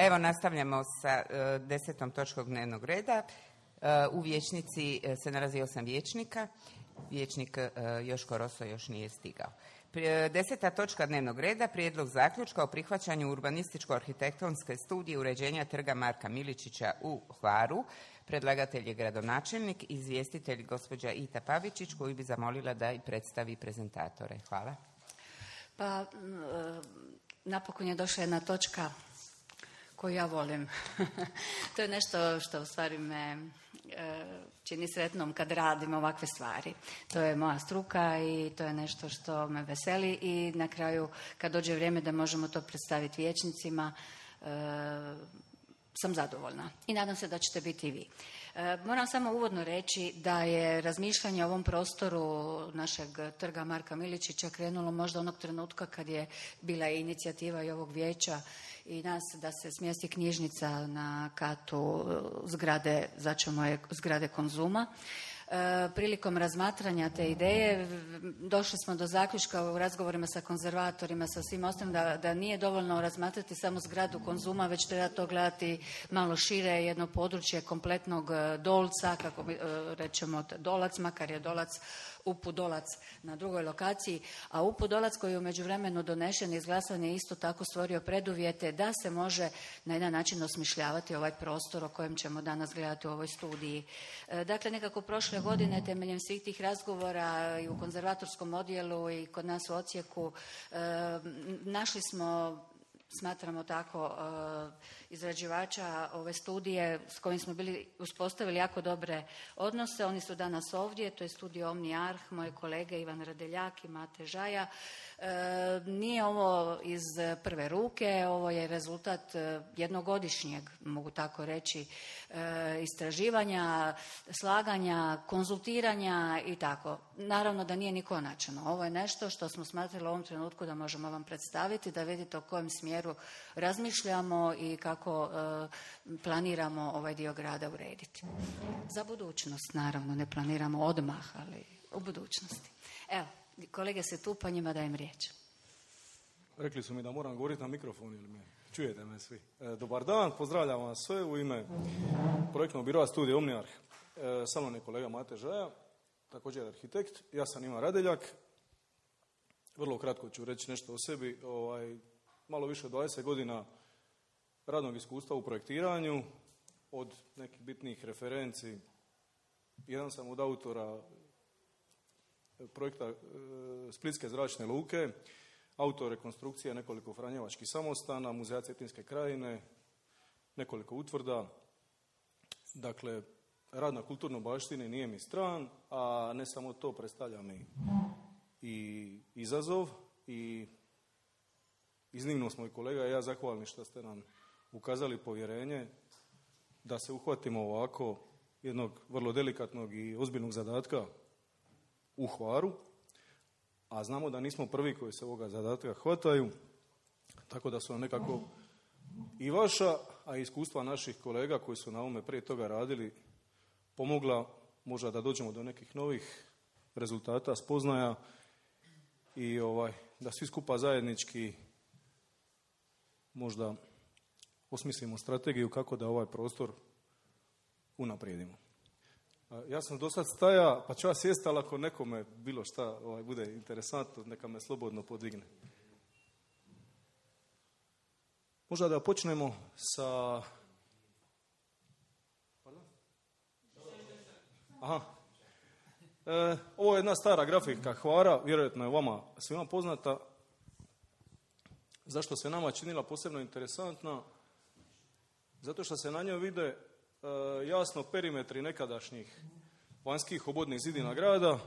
Evo, nastavljamo sa 10. točkom dnevnog reda. U vijećnici se nalazi 8 vijećnika. Vijećnik Joško Roso još nije stigao. 10. točka dnevnog reda, prijedlog zaključka o prihvaćanju urbanističko-arhitektonske studije uređenja trga Marka Miličića u Hvaru. Predlagatelj je gradonačelnik, izvjestitelj gospođa Ita Pavičić, koju bi zamolila da i predstavi prezentatore. Hvala. Pa, napokon je došla jedna točka koju ja volim. To je nešto što u stvari me čini sretnom kad radim ovakve stvari. To je moja struka i to je nešto što me veseli i na kraju kad dođe vrijeme da možemo to predstaviti vijećnicima, sam zadovoljna i nadam se da ćete biti i vi. Moram samo uvodno reći da je razmišljanje o ovom prostoru našeg trga Marka Miličića krenulo možda onog trenutka kad je bila inicijativa i ovog vijeća i nas da se smjesti knjižnica na katu zgrade, začemo je zgrade Konzuma. Prilikom razmatranja te ideje došli smo do zaključka u razgovorima sa konzervatorima, sa svim ostalim, da nije dovoljno razmatrati samo zgradu Konzuma, već treba to gledati malo šire, jedno područje kompletnog Dolca, kako rečemo Dolac, makar je Dolac UPU Dolac na drugoj lokaciji, a UPU Dolac koji je u međuvremenu donešen i izglasan je isto tako stvorio preduvjete da se može na jedan način osmišljavati ovaj prostor o kojem ćemo danas gledati u ovoj studiji. Dakle, nekako prošle godine temeljem svih tih razgovora i u konzervatorskom odjelu i kod nas u odsjeku našli smo, smatramo tako, izrađivača ove studije s kojim smo bili uspostavili jako dobre odnose. Oni su danas ovdje, to je studio Omni Arh, moje kolege Ivan Radeljak i Mate Žaja. Nije ovo iz prve ruke, ovo je rezultat jednogodišnjeg, mogu tako reći, istraživanja, slaganja, konzultiranja i tako. Naravno da nije ni konačno. Ovo je nešto što smo smatrali u ovom trenutku da možemo vam predstaviti, da vidite u kojem smjeru razmišljamo i kako planiramo ovaj dio grada urediti. Za budućnost, naravno, ne planiramo odmah, ali u budućnosti. Evo, kolege se tu, pa njima dajem riječ. Rekli su mi da moram govoriti na mikrofon, ili me čujete me svi. Dobar dan, pozdravljam vas sve u ime projektnog biroa studija Omni Arh. Sa mnom je kolega Mate Žaja, također arhitekt. Ja sam Ivan Radeljak. Vrlo kratko ću reći nešto o sebi. Malo više od 20 godina radnog iskustva u projektiranju, od nekih bitnih referenci. Jedan sam od autora projekta Splitske zračne luke, autor rekonstrukcije nekoliko franjevačkih samostana, muzeja Cetinske krajine, nekoliko utvrda. Dakle, rad na kulturnoj baštini nije mi stran, a ne samo to, predstavlja mi i izazov i iznimno smo i kolega i ja zahvalni što ste nam ukazali povjerenje da se uhvatimo ovako jednog vrlo delikatnog i ozbiljnog zadatka u Hvaru, a znamo da nismo prvi koji se ovoga zadatka hvataju, tako da su nam nekako i vaša, a i iskustva naših kolega koji su na ovome prije toga radili pomogla možda da dođemo do nekih novih rezultata, spoznaja i da svi skupa zajednički možda osmislimo strategiju kako da ovaj prostor unaprijedimo. Ja sam do sad staja, pa ću ja sjesti, ali ako nekome bilo šta bude interesantno, neka me slobodno podigne. Možda da počnemo sa... Aha. Ovo je jedna stara grafika Hvara, vjerojatno je vama svima poznata. Zašto se nama činila posebno interesantna? Zato što se na njoj vide jasno perimetri nekadašnjih vanjskih obodnih zidina grada,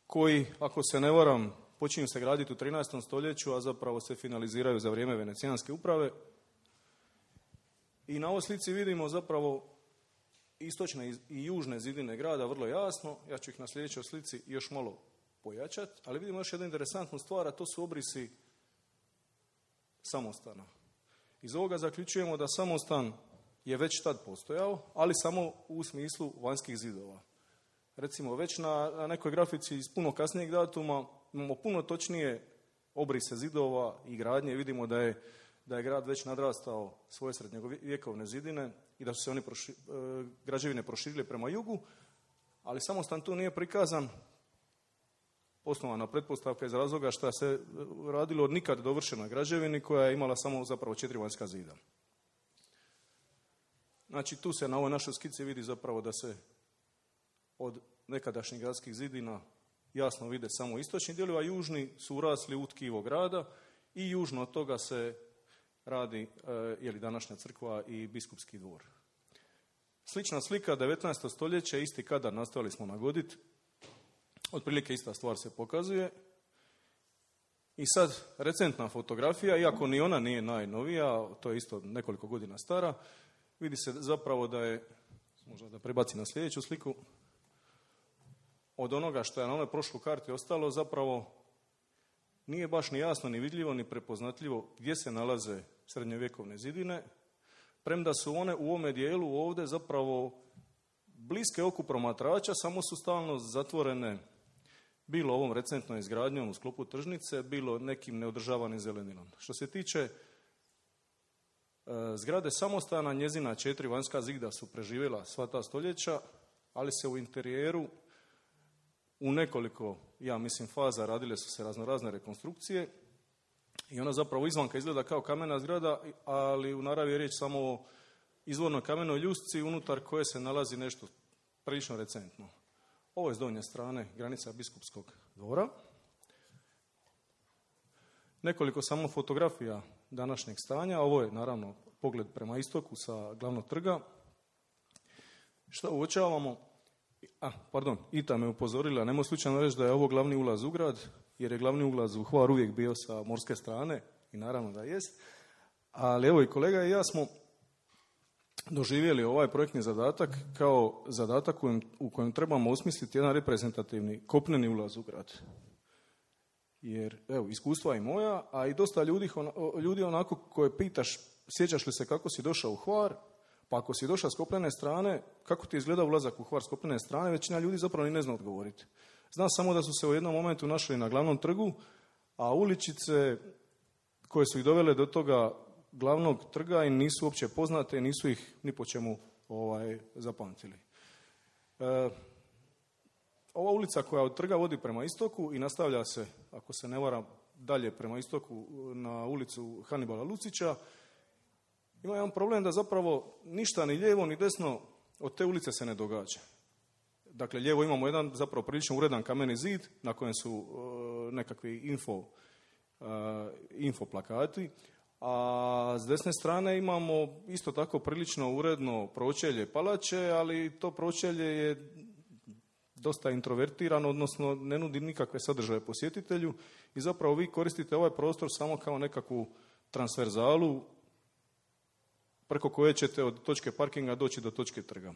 koji, ako se ne varam, počinju se graditi u 13. stoljeću, a zapravo se finaliziraju za vrijeme Venecijanske uprave. I na ovoj slici vidimo zapravo istočne i južne zidine grada vrlo jasno. Ja ću ih na sljedećoj slici još malo pojačati, ali vidimo još jednu interesantnu stvar, a to su obrisi samostana. Iz ovoga zaključujemo da samostan je već tad postojao, ali samo u smislu vanjskih zidova. Recimo, već na nekoj grafici iz puno kasnijeg datuma imamo puno točnije obrise zidova i gradnje. Vidimo da da je grad već nadrastao svoje srednjovjekovne zidine i da su se oni građevine proširile prema jugu, ali Samostan tu nije prikazan. Osnovana pretpostavka iz razloga što se radilo od nikad dovršenoj građevini koja je imala samo zapravo 4 vanjska zida. Znači tu se na ovoj našoj skici vidi zapravo da se od nekadašnjih gradskih zidina jasno vide samo istočni dijelovi, a južni su urasli u tkivo grada i južno od toga se radi današnja crkva i biskupski dvor. Slična slika 19. stoljeće, isti kadar nastavili smo nagoditi, otprilike ista stvar se pokazuje. I sad recentna fotografija, iako ni ona nije najnovija, to je isto nekoliko godina stara, vidi se zapravo da je, možda da prebaci na sljedeću sliku, od onoga što je na onoj prošloj karti ostalo zapravo nije baš ni jasno, ni vidljivo, ni prepoznatljivo gdje se nalaze srednjovjekovne zidine, premda su one u ovome dijelu ovdje zapravo bliske oku promatrača, samo su stalno zatvorene bilo ovom recentnom izgradnjom u sklopu tržnice, bilo nekim neodržavanim zeleninom. Što se tiče zgrade Samostana, njezina 4 vanjska zida su preživjela sva ta stoljeća, ali se u interijeru u nekoliko, ja mislim, faza radile su se raznorazne rekonstrukcije i ona zapravo izvanka izgleda kao kamena zgrada, ali u naravi je riječ samo o izvornoj kamenoj ljusci unutar koje se nalazi nešto prilično recentno. Ovo je s donje strane granica biskupskog dvora. Nekoliko samo fotografija današnjeg stanja. Ovo je naravno pogled prema istoku sa glavnog trga. Što uočavamo? Ita me upozorila, nemoj slučajno reći da je ovo glavni ulaz u grad, jer je glavni ulaz u Hvar uvijek bio sa morske strane i naravno da jest. Ali evo i kolega i ja smo doživjeli ovaj projektni zadatak kao zadatak u kojem trebamo osmisliti jedan reprezentativni kopneni ulaz u grad. Jer, evo, iskustva i moja, a i dosta ljudi onako koje pitaš, sjećaš li se kako si došao u Hvar, pa ako si došao s kopnene strane, kako ti izgleda ulazak u Hvar s kopnene strane, većina ljudi zapravo ni ne zna odgovoriti. Zna samo da su se u jednom momentu našli na glavnom trgu, a uličice koje su ih dovele do toga glavnog trga i nisu uopće poznate, nisu ih ni po čemu zapamtili. Ova ulica koja od trga vodi prema istoku i nastavlja se, ako se ne varam, dalje prema istoku na ulicu Hanibala Lucića, ima jedan problem da zapravo ništa ni lijevo ni desno od te ulice se ne događa. Dakle, lijevo imamo jedan zapravo prilično uredan kameni zid na kojem su nekakvi info plakati, a s desne strane imamo isto tako prilično uredno pročelje palače, ali to pročelje je dosta introvertirano, odnosno ne nudi nikakve sadržaje posjetitelju i zapravo vi koristite ovaj prostor samo kao nekakvu transverzalu preko koje ćete od točke parkinga doći do točke trga.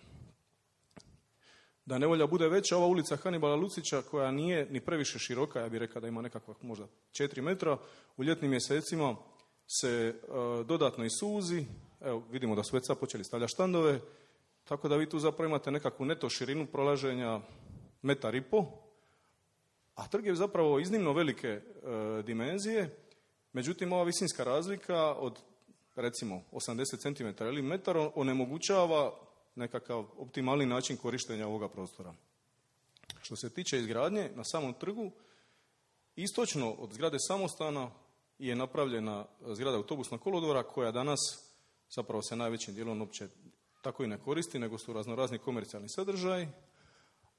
Da nevolja bude veća, ova ulica Hanibala Lucića, koja nije ni previše široka, ja bih rekao da ima nekakva možda 4 metra, u ljetnim mjesecima se dodatno i suzi. Evo, vidimo da su već sad počeli stavljati štandove, tako da vi tu zapravo imate nekakvu neto širinu prolaženja 1,5 metra, a trg je zapravo iznimno velike dimenzije, međutim ova visinska razlika od recimo 80 cm ili metar onemogućava nekakav optimalni način korištenja ovoga prostora. Što se tiče izgradnje na samom trgu, istočno od zgrade Samostana je napravljena zgrada autobusnog kolodvora koja danas zapravo se najvećim dijelom uopće tako i ne koristi, nego su raznorazni komercijalni sadržaji,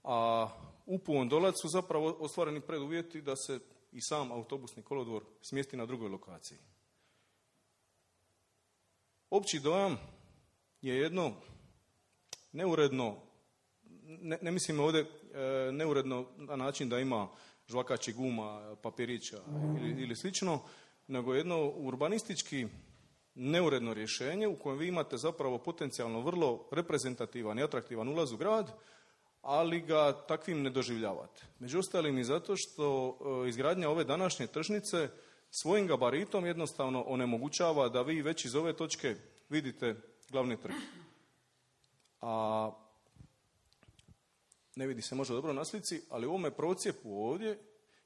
a u Pondolac su zapravo ostvareni preduvjeti da se i sam autobusni kolodvor smjesti na drugoj lokaciji. Opći dojam je jedno neuredno, ne mislim ovdje neuredno na način da ima žvakačih guma, papirića ili slično, nego jedno urbanistički neuredno rješenje u kojem vi imate zapravo potencijalno vrlo reprezentativan i atraktivan ulaz u grad, ali ga takvim ne doživljavate. Među ostalim i zato što izgradnja ove današnje tržnice svojim gabaritom jednostavno onemogućava da vi već iz ove točke vidite glavni trg. A ne vidi se možda dobro na slici, ali u ovome procijepu ovdje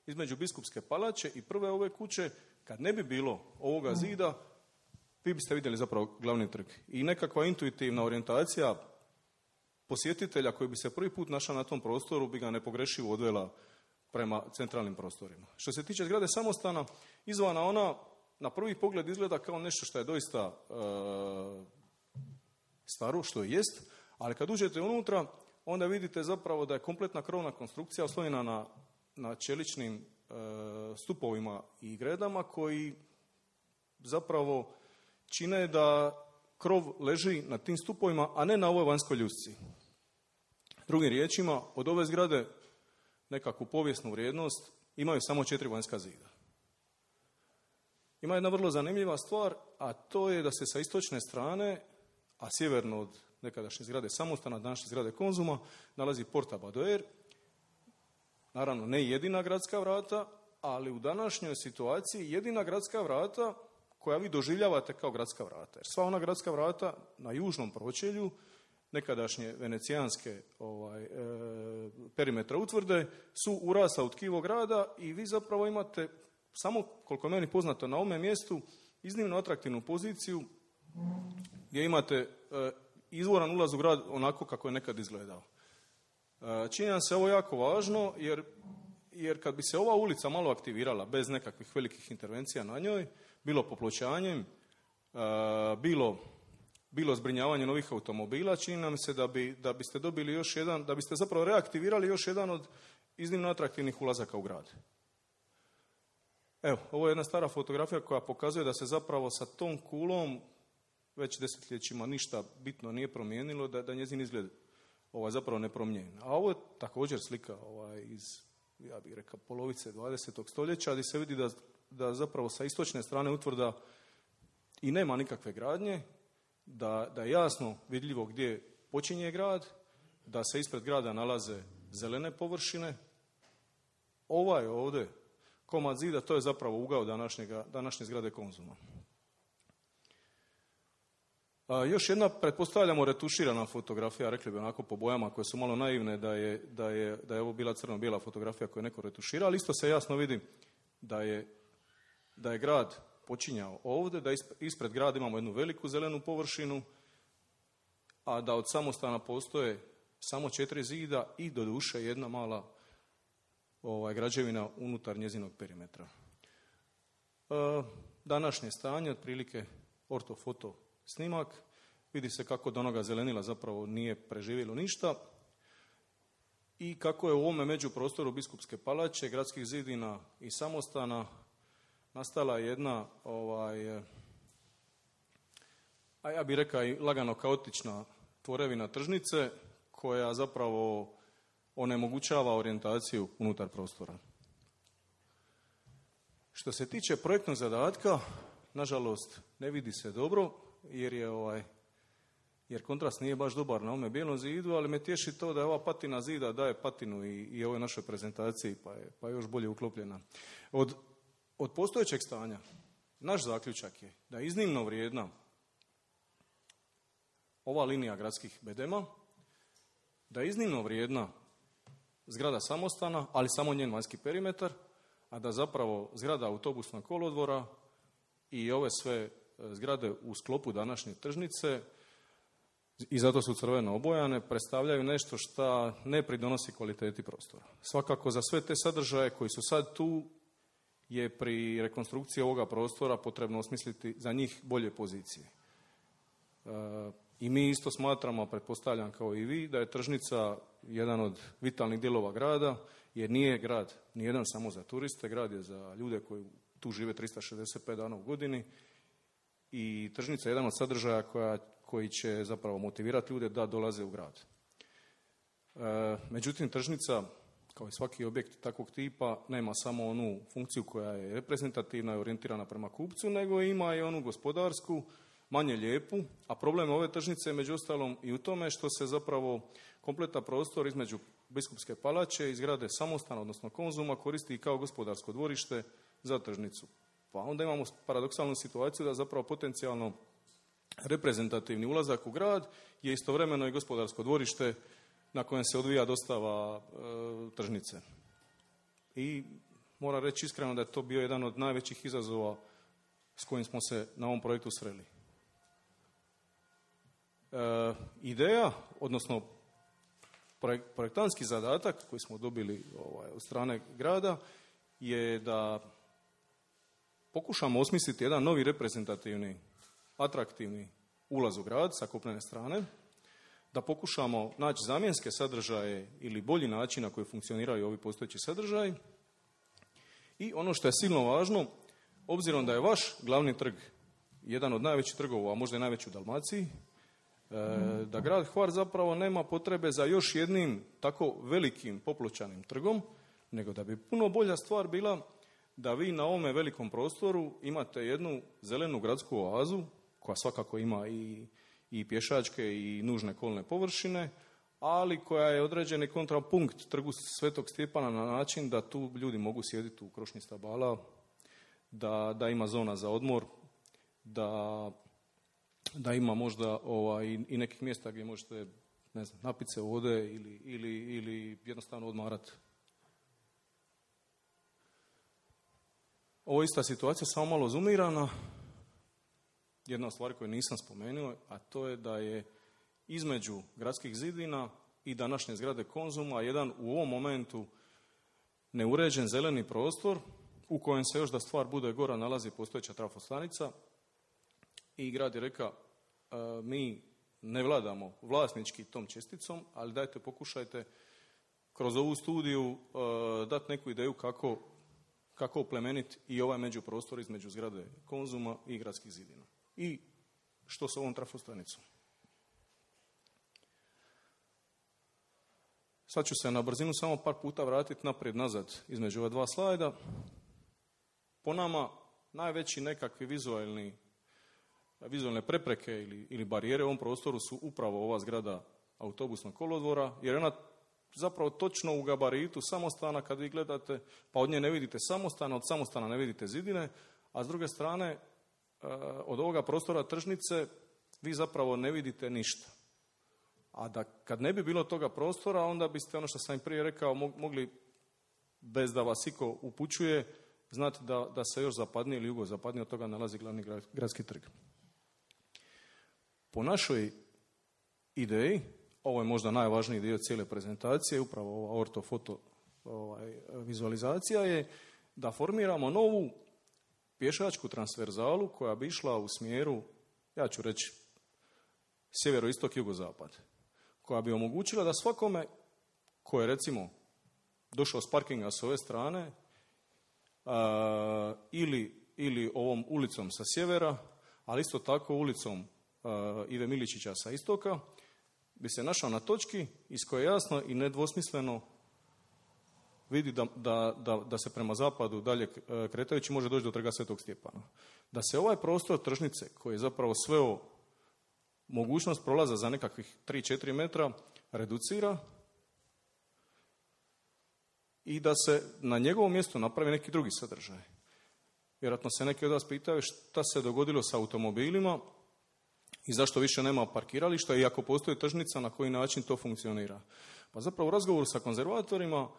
između Biskupske palače i prve ove kuće, kad ne bi bilo ovoga zida, vi biste vidjeli zapravo glavni trg. I nekakva intuitivna orijentacija posjetitelja koji bi se prvi put našao na tom prostoru bi ga nepogrešivo odvela prema centralnim prostorima. Što se tiče zgrade samostana, izvana ona na prvi pogled izgleda kao nešto što je doista staro, što i jest, ali kad uđete unutra, onda vidite zapravo da je kompletna krovna konstrukcija oslonjena na čeličnim stupovima i gredama koji zapravo čine da krov leži na tim stupovima, a ne na ovoj vanjskoj ljusci. Drugim riječima, od ove zgrade nekakvu povijesnu vrijednost imaju samo 4 vanjska zida. Ima jedna vrlo zanimljiva stvar, a to je da se sa istočne strane, a sjeverno od nekadašnje zgrade Samostana, današnje zgrade Konzuma, nalazi Porta Badoer. Naravno, ne jedina gradska vrata, ali u današnjoj situaciji jedina gradska vrata koja vi doživljavate kao gradska vrata. Jer sva ona gradska vrata na južnom pročelju nekadašnje venecijanske perimetra utvrde su urasla u tkivo grada i vi zapravo imate, samo koliko je meni poznato na ovome mjestu, iznimno atraktivnu poziciju gdje imate izvoran ulaz u grad onako kako je nekad izgledao. Čini nam se ovo jako važno jer kad bi se ova ulica malo aktivirala bez nekakvih velikih intervencija na njoj, bilo popločanjem, bilo zbrinjavanje novih automobila, čini nam se da biste dobili još jedan, da biste zapravo reaktivirali još jedan od iznimno atraktivnih ulazaka u grad. Evo, ovo je jedna stara fotografija koja pokazuje da se zapravo sa tom kulom već desetljećima ništa bitno nije promijenilo, da njezin izgled zapravo nepromijenjen. A ovo je također slika iz, ja bih rekao, polovice 20. stoljeća, gdje se vidi da zapravo sa istočne strane utvrda i nema nikakve gradnje, da je jasno vidljivo gdje počinje grad, da se ispred grada nalaze zelene površine. Ovaj ovdje komad zida, to je zapravo ugao današnje zgrade Konzuma. Još jedna, pretpostavljamo, retuširana fotografija, rekli bi onako po bojama koje su malo naivne, da je ovo bila crno-bijela fotografija koju je neko retuširao, ali isto se jasno vidi da je grad počinjao ovdje, da ispred grada imamo jednu veliku zelenu površinu, a da od Samostana postoje samo 4 zida i doduše jedna mala građevina unutar njezinog perimetra. Današnje stanje, otprilike ortofoto snimak, vidi se kako do onoga zelenila zapravo nije preživjelo ništa i kako je u ovome međuprostoru Biskupske palače, gradskih zidina i Samostana nastala jedna, a ja bih rekao i lagano kaotična tvorevina tržnice koja zapravo onemogućava orijentaciju unutar prostora. Što se tiče projektnog zadatka, nažalost ne vidi se dobro jer kontrast nije baš dobar na ovome bijelom zidu, ali me tješi to da je ova patina zida daje patinu i ovoj našoj prezentaciji, pa je još bolje uklopljena. Od postojećeg stanja, naš zaključak je da je iznimno vrijedna ova linija gradskih bedema, da je iznimno vrijedna zgrada Samostana, ali samo njen vanjski perimetar, a da zapravo zgrada autobusnog kolodvora i ove sve zgrade u sklopu današnje tržnice, i zato su crveno obojane, predstavljaju nešto što ne pridonosi kvaliteti prostora. Svakako za sve te sadržaje koji su sad tu je pri rekonstrukciji ovoga prostora potrebno osmisliti za njih bolje pozicije. I mi isto smatramo, pretpostavljam kao i vi, da je tržnica jedan od vitalnih dijelova grada, jer nije grad nijedan samo za turiste, grad je za ljude koji tu žive 365 dana u godini i tržnica je jedan od sadržaja koji će zapravo motivirati ljude da dolaze u grad. Međutim, tržnica, kao i svaki objekt takvog tipa, nema samo onu funkciju koja je reprezentativna i orijentirana prema kupcu, nego ima i onu gospodarsku, manje lijepu, a problem ove tržnice je među ostalom i u tome što se zapravo kompletan prostor između Biskupske palače i zgrade Samostana, odnosno Konzuma, koristi kao gospodarsko dvorište za tržnicu. Pa onda imamo paradoksalnu situaciju da zapravo potencijalno reprezentativni ulazak u grad je istovremeno i gospodarsko dvorište na kojem se odvija dostava tržnice. I moram reći iskreno da je to bio jedan od najvećih izazova s kojim smo se na ovom projektu sreli. Ideja, odnosno projektantski zadatak koji smo dobili od strane grada je da pokušamo osmisliti jedan novi reprezentativni, atraktivni ulaz u grad sa kopnene strane, da pokušamo naći zamjenske sadržaje ili bolji način na koji funkcioniraju ovi postojeći sadržaji. I ono što je silno važno, obzirom da je vaš glavni trg jedan od najvećih trgova, a možda i najveći u Dalmaciji, da grad Hvar zapravo nema potrebe za još jednim tako velikim popločanim trgom, nego da bi puno bolja stvar bila da vi na ovome velikom prostoru imate jednu zelenu gradsku oazu, koja svakako ima i pješačke i nužne kolne površine, ali koja je određeni kontrapunkt trgu Svetog Stjepana na način da tu ljudi mogu sjediti u krošnji stabala, da ima zona za odmor, da ima možda i nekih mjesta gdje možete, ne znam, napiti se vode ili jednostavno odmarati. Ovo je ista situacija, samo malo zoomirana. Jedna od stvari koju nisam spomenuo, a to je da je između gradskih zidina i današnje zgrade Konzuma jedan u ovom momentu neuređen zeleni prostor u kojem se još da stvar bude gora nalazi postojeća trafostanica i grad je rekao mi ne vladamo vlasnički tom česticom, ali dajte pokušajte kroz ovu studiju dati neku ideju kako oplemeniti i ovaj međuprostor između zgrade Konzuma i gradskih zidina. I što s ovom trafostanicom? Sad ću se na brzinu samo par puta vratiti naprijed-nazad između ova dva slajda. Po nama najveći nekakvi vizualne prepreke ili barijere u ovom prostoru su upravo ova zgrada autobusnog kolodvora, jer ona zapravo točno u gabaritu samostana kad vi gledate, pa od nje ne vidite samostan, od samostana ne vidite zidine, a s druge strane od ovoga prostora tržnice vi zapravo ne vidite ništa. A da kad ne bi bilo toga prostora, onda biste, ono što sam i prije rekao, mogli, bez da vas iko upućuje, znati da se još zapadnije ili jugozapadnije od toga nalazi glavni gradski trg. Po našoj ideji, ovo je možda najvažniji dio cijele prezentacije, upravo ova ortofoto vizualizacija je da formiramo novu pješačku transverzalu koja bi išla u smjeru, ja ću reći, sjeveroistok, jugozapad, koja bi omogućila da svakome ko je recimo došao s parkinga s ove strane ili ovom ulicom sa sjevera, ali isto tako ulicom Ive Miličića sa istoka, bi se našao na točki iz koje jasno i nedvosmisleno vidi da se prema zapadu dalje kretajući može doći do trga Svetog Stjepana. Da se ovaj prostor tržnice, koji je zapravo sveo mogućnost prolaza za nekakvih 3-4 metra, reducira i da se na njegovom mjestu napravi neki drugi sadržaj. Vjerojatno se neki od vas pitaju šta se dogodilo sa automobilima i zašto više nema parkirališta i ako postoji tržnica, na koji način to funkcionira. Pa zapravo u razgovoru sa konzervatorima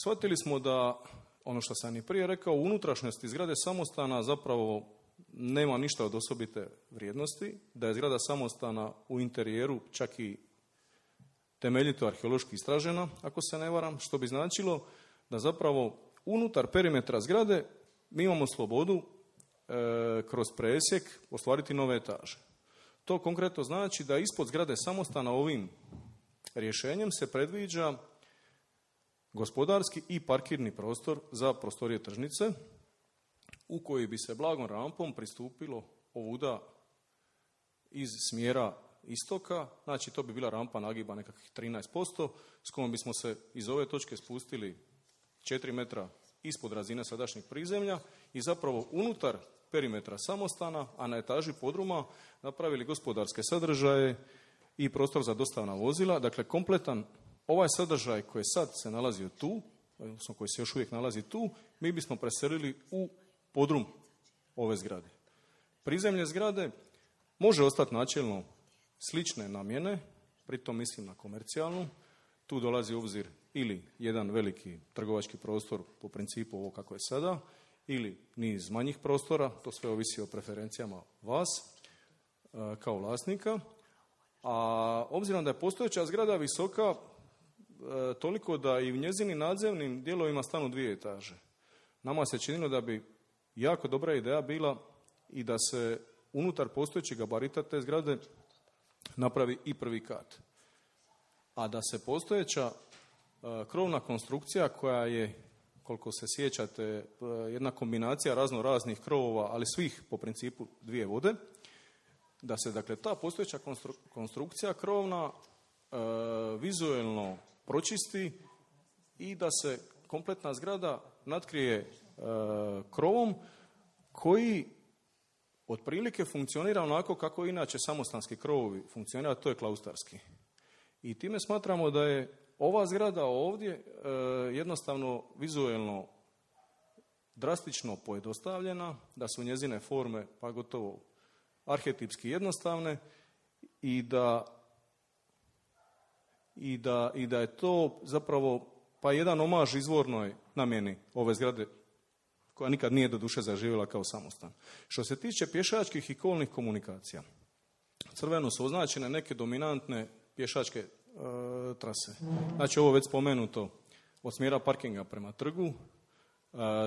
shvatili smo da, ono što sam i prije rekao, u unutrašnjosti zgrade samostana zapravo nema ništa od osobite vrijednosti, da je zgrada samostana u interijeru čak i temeljito arheološki istražena, ako se ne varam, što bi značilo da zapravo unutar perimetra zgrade mi imamo slobodu kroz presjek ostvariti nove etaže. To konkretno znači da ispod zgrade samostana ovim rješenjem se predviđa gospodarski i parkirni prostor za prostorije tržnice u koji bi se blagom rampom pristupilo ovuda iz smjera istoka, znači to bi bila rampa nagiba nekakvih 13%, s kojom bismo se iz ove točke spustili 4 metra ispod razine sadašnjeg prizemlja i zapravo unutar perimetra samostana, a na etaži podruma napravili gospodarske sadržaje i prostor za dostavna vozila. Dakle, kompletan ovaj sadržaj koji sad se nalazio tu, odnosno koji se još uvijek nalazi tu, mi bismo preselili u podrum ove zgrade. Prizemlje zgrade može ostati načelno slične namjene, pritom mislim na komercijalnu. Tu dolazi u obzir ili jedan veliki trgovački prostor po principu ovo kako je sada, ili niz manjih prostora, to sve ovisi o preferencijama vas kao vlasnika, A obzirom da je postojeća zgrada visoka toliko da i u njezinim nadzemnim dijelovima stanu 2 etaže. Nama se činilo da bi jako dobra ideja bila i da se unutar postojećeg gabarita te zgrade napravi i 1. kat. A da se postojeća krovna konstrukcija koja je, koliko se sjećate, jedna kombinacija raznih krovova, ali svih po principu 2 vode, da se dakle ta postojeća konstrukcija krovna vizuelno pročisti i da se kompletna zgrada natkrije krovom koji otprilike funkcionira onako kako inače samostanski krovovi funkcionira, to je klaustarski. I time smatramo da je ova zgrada ovdje jednostavno vizuelno drastično pojednostavljena, da su njezine forme pa gotovo arhetipski jednostavne i da je to zapravo pa jedan omaž izvornoj namjeni ove zgrade koja nikad nije do duše zaživjela kao samostan. Što se tiče pješačkih i kolnih komunikacija, crveno su označene neke dominantne pješačke trase. Znači ovo već spomenuto od smjera parkinga prema trgu,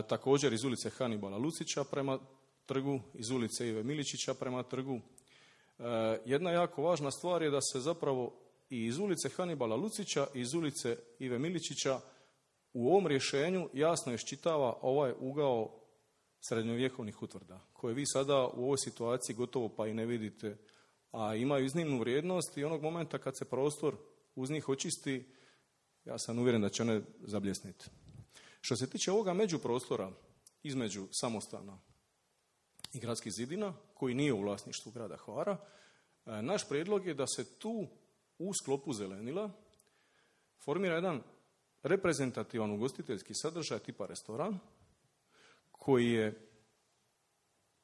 također iz ulice Hanibala Lucića prema trgu, iz ulice Ive Miličića prema trgu. Jedna jako važna stvar je da se zapravo i iz ulice Hanibala Lucića i iz ulice Ive Miličića u ovom rješenju jasno iščitava ovaj ugao srednjovjekovnih utvrda, koje vi sada u ovoj situaciji gotovo pa i ne vidite, a imaju iznimnu vrijednost i onog momenta kad se prostor uz njih očisti, ja sam uvjeren da će one zabljesniti. Što se tiče ovoga međuprostora između samostana i gradskih zidina, koji nije u vlasništvu grada Hvara, naš prijedlog je da se tu u sklopu zelenila formira jedan reprezentativan ugostiteljski sadržaj tipa restoran, koji je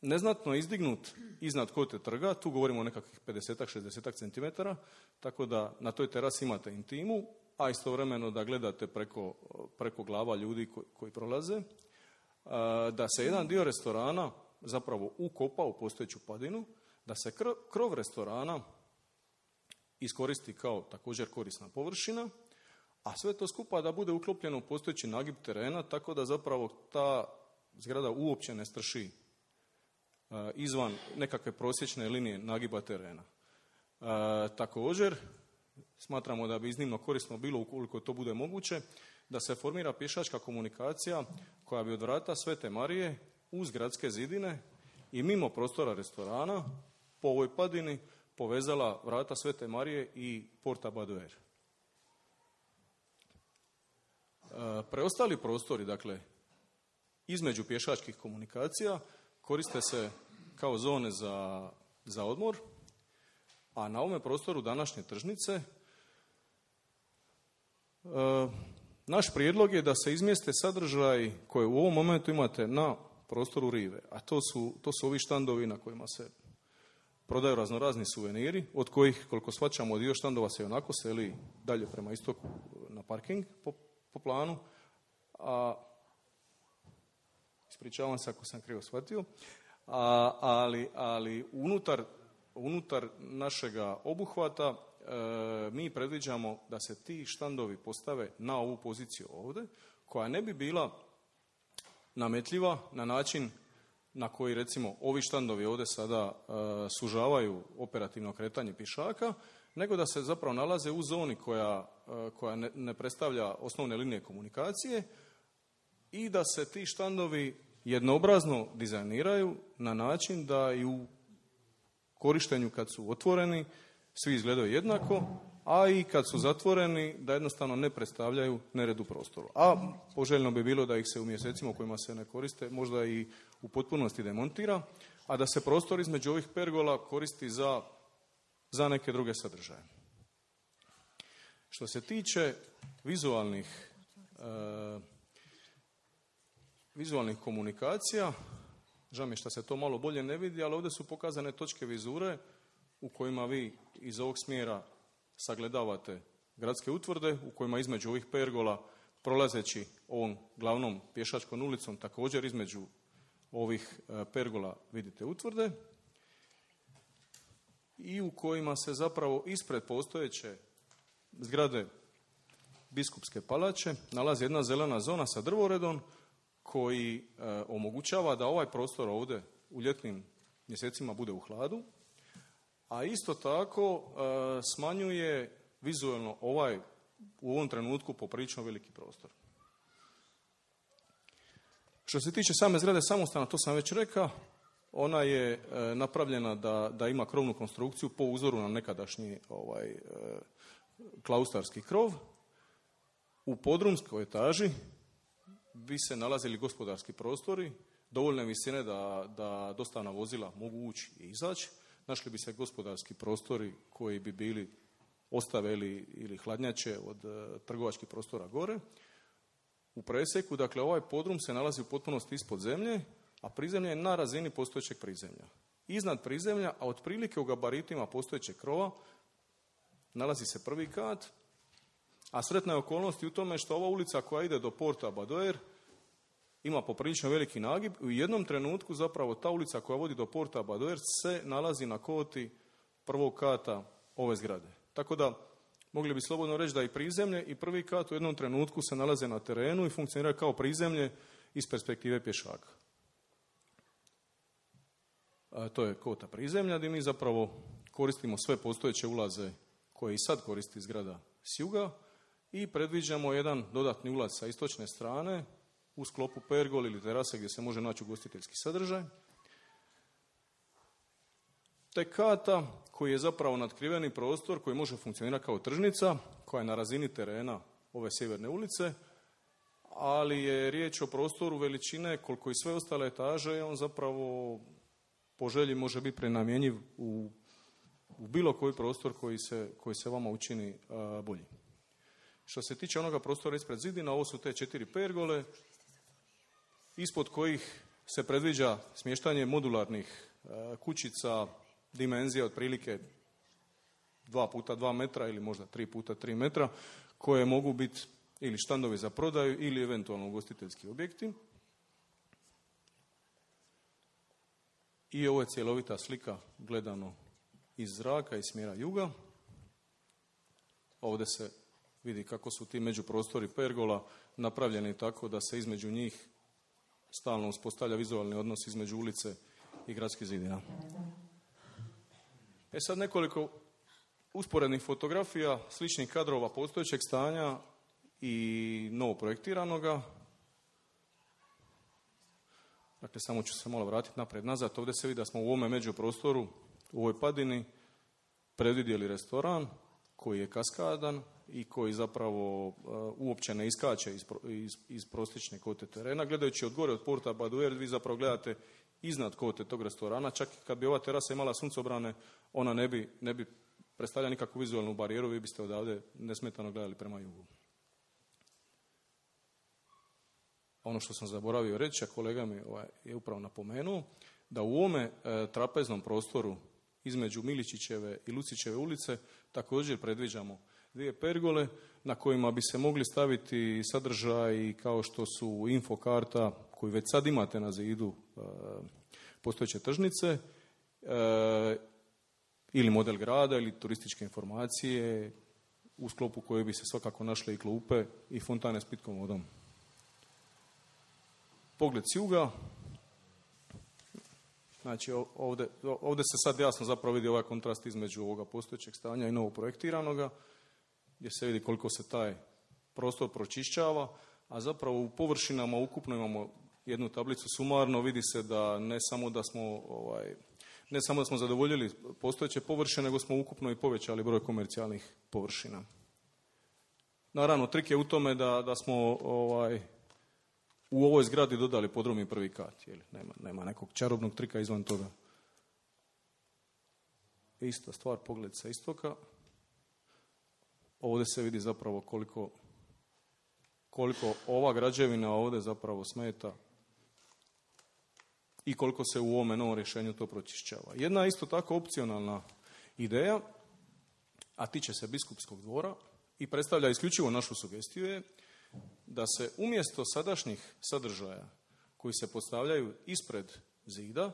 neznatno izdignut iznad kote trga, tu govorimo o nekakvih 50-60 cm, tako da na toj terasi imate intimu, a istovremeno da gledate preko glava ljudi koji prolaze, da se jedan dio restorana zapravo ukopa u postojeću padinu, da se krov restorana iskoristi kao također korisna površina, a sve to skupa da bude uklopljeno u postojeći nagib terena, tako da zapravo ta zgrada uopće ne strši izvan nekakve prosječne linije nagiba terena. Također, smatramo da bi iznimno korisno bilo, ukoliko to bude moguće, da se formira pješačka komunikacija koja bi od vrata Svete Marije uz gradske zidine i mimo prostora restorana po ovoj padini povezala vrata Svete Marije i Porta Badoer. Preostali prostori, dakle, između pješačkih komunikacija koriste se kao zone za odmor, a na ovome prostoru današnje tržnice naš prijedlog je da se izmjeste sadržaj koje u ovom momentu imate na prostoru rive, a to su ovi štandovi na kojima se prodaju raznorazni suveniri, od kojih, koliko shvaćamo, dio štandova se onako seli dalje prema istoku na parking po planu, a ispričavam se ako sam krivo shvatio, ali unutar našega obuhvata mi predviđamo da se ti štandovi postave na ovu poziciju ovdje, koja ne bi bila nametljiva na način na koji recimo ovi štandovi ovdje sada sužavaju operativno kretanje pješaka, nego da se zapravo nalaze u zoni koja ne predstavlja osnovne linije komunikacije i da se ti štandovi jednoobrazno dizajniraju na način da i u korištenju kad su otvoreni svi izgledaju jednako, a i kad su zatvoreni da jednostavno ne predstavljaju nered u prostoru. A poželjno bi bilo da ih se u mjesecima u kojima se ne koriste možda i u potpunosti demontira, a da se prostor između ovih pergola koristi za neke druge sadržaje. Što se tiče vizualnih komunikacija, žao mi je što se to malo bolje ne vidi, ali ovdje su pokazane točke vizure u kojima vi iz ovog smjera sagledavate gradske utvrde, u kojima između ovih pergola, prolazeći ovom glavnom pješačkom ulicom, također između ovih pergola vidite utvrde. i u kojima se zapravo ispred postojeće zgrade Biskupske palače nalazi jedna zelena zona sa drvoredom koji omogućava da ovaj prostor ovdje u ljetnim mjesecima bude u hladu, a isto tako smanjuje vizualno u ovom trenutku poprilično veliki prostor. Što se tiče same zgrade samostana, to sam već rekao, ona je napravljena da ima krovnu konstrukciju po uzoru na nekadašnji klaustarski krov. U podrumskoj etaži bi se nalazili gospodarski prostori, dovoljne visine da dostavna vozila mogu ući i izaći. Našli bi se gospodarski prostori koji bi bili ostave ili hladnjače od trgovačkih prostora gore. U preseku, dakle, ovaj podrum se nalazi u potpunosti ispod zemlje, a prizemlje je na razini postojećeg prizemlja. Iznad prizemlja, a otprilike u gabaritima postojećeg krova, nalazi se prvi kat, a sretna je okolnost u tome što ova ulica koja ide do Porta Badoer ima poprilično veliki nagib. U jednom trenutku zapravo ta ulica koja vodi do Porta Badoer se nalazi na koti prvog kata ove zgrade. Tako da mogli bi slobodno reći da i prizemlje i prvi kat u jednom trenutku se nalaze na terenu i funkcioniraju kao prizemlje iz perspektive pješaka. To je kota prizemlja gdje mi zapravo koristimo sve postojeće ulaze koje i sad koristi zgrada s juga i predviđamo jedan dodatni ulaz sa istočne strane u sklopu pergol ili terase gdje se može naći ugostiteljski sadržaj. Te kata koji je zapravo natkriveni prostor koji može funkcionirati kao tržnica koja je na razini terena ove sjeverne ulice, ali je riječ o prostoru veličine koliko i sve ostale etaže, on zapravo po želji može biti prenamjenjiv u bilo koji prostor koji se vama učini bolji. Što se tiče onoga prostora ispred zidina, ovo su te 4 pergole, ispod kojih se predviđa smještanje modularnih kućica dimenzije otprilike 2x2 metra ili možda 3x3 metra, koje mogu biti ili štandovi za prodaju ili eventualno ugostiteljski objekti. I ovo je cjelovita slika gledano iz zraka, iz smjera juga. Ovdje se vidi kako su ti međuprostori pergola napravljeni tako da se između njih stalno uspostavlja vizualni odnos između ulice i gradskih zidina. Sad nekoliko usporednih fotografija sličnih kadrova postojećeg stanja i novo projektiranoga. Dakle, samo ću se malo vratiti naprijed nazad. Ovdje se vidi da smo u ovome međuprostoru, u ovoj padini, predvidjeli restoran koji je kaskadan i koji zapravo uopće ne iskače iz prosječne kote terena. Gledajući od gore, od Porta Badoer, vi zapravo gledate iznad kote tog restorana. Čak i kad bi ova terasa imala suncobrane, ona ne bi predstavljala nikakvu vizualnu barijeru, vi biste odavde nesmetano gledali prema jugu. Ono što sam zaboravio reći, a kolega mi je upravo napomenuo, da u ovome trapeznom prostoru između Miličićeve i Lucićeve ulice također predviđamo 2 pergole na kojima bi se mogli staviti sadržaj kao što su infokarta koju već sad imate na zidu postojeće tržnice ili model grada ili turističke informacije u sklopu koje bi se svakako našle i klupe i fontane s pitkom vodom. Pogled s juga. Znači ovdje se sad jasno zapravo vidi ovaj kontrast između ovoga postojećeg stanja i novog projektiranoga, gdje se vidi koliko se taj prostor pročišćava, a zapravo u površinama ukupno imamo jednu tablicu sumarno, vidi se da ne samo da smo zadovoljili postojeće površine, nego smo ukupno i povećali broj komercijalnih površina. Naravno, trik je u tome da smo u ovoj zgradi dodali podrum i prvi kat. Nema nekog čarobnog trika izvan toga. Ista stvar, pogled sa istoka. Ovdje se vidi zapravo koliko ova građevina ovdje zapravo smeta i koliko se u ovome novom rješenju to pročišćava. Jedna isto tako opcionalna ideja, a tiče se Biskupskog dvora i predstavlja isključivo našu sugestiju, je da se umjesto sadašnjih sadržaja koji se postavljaju ispred zida,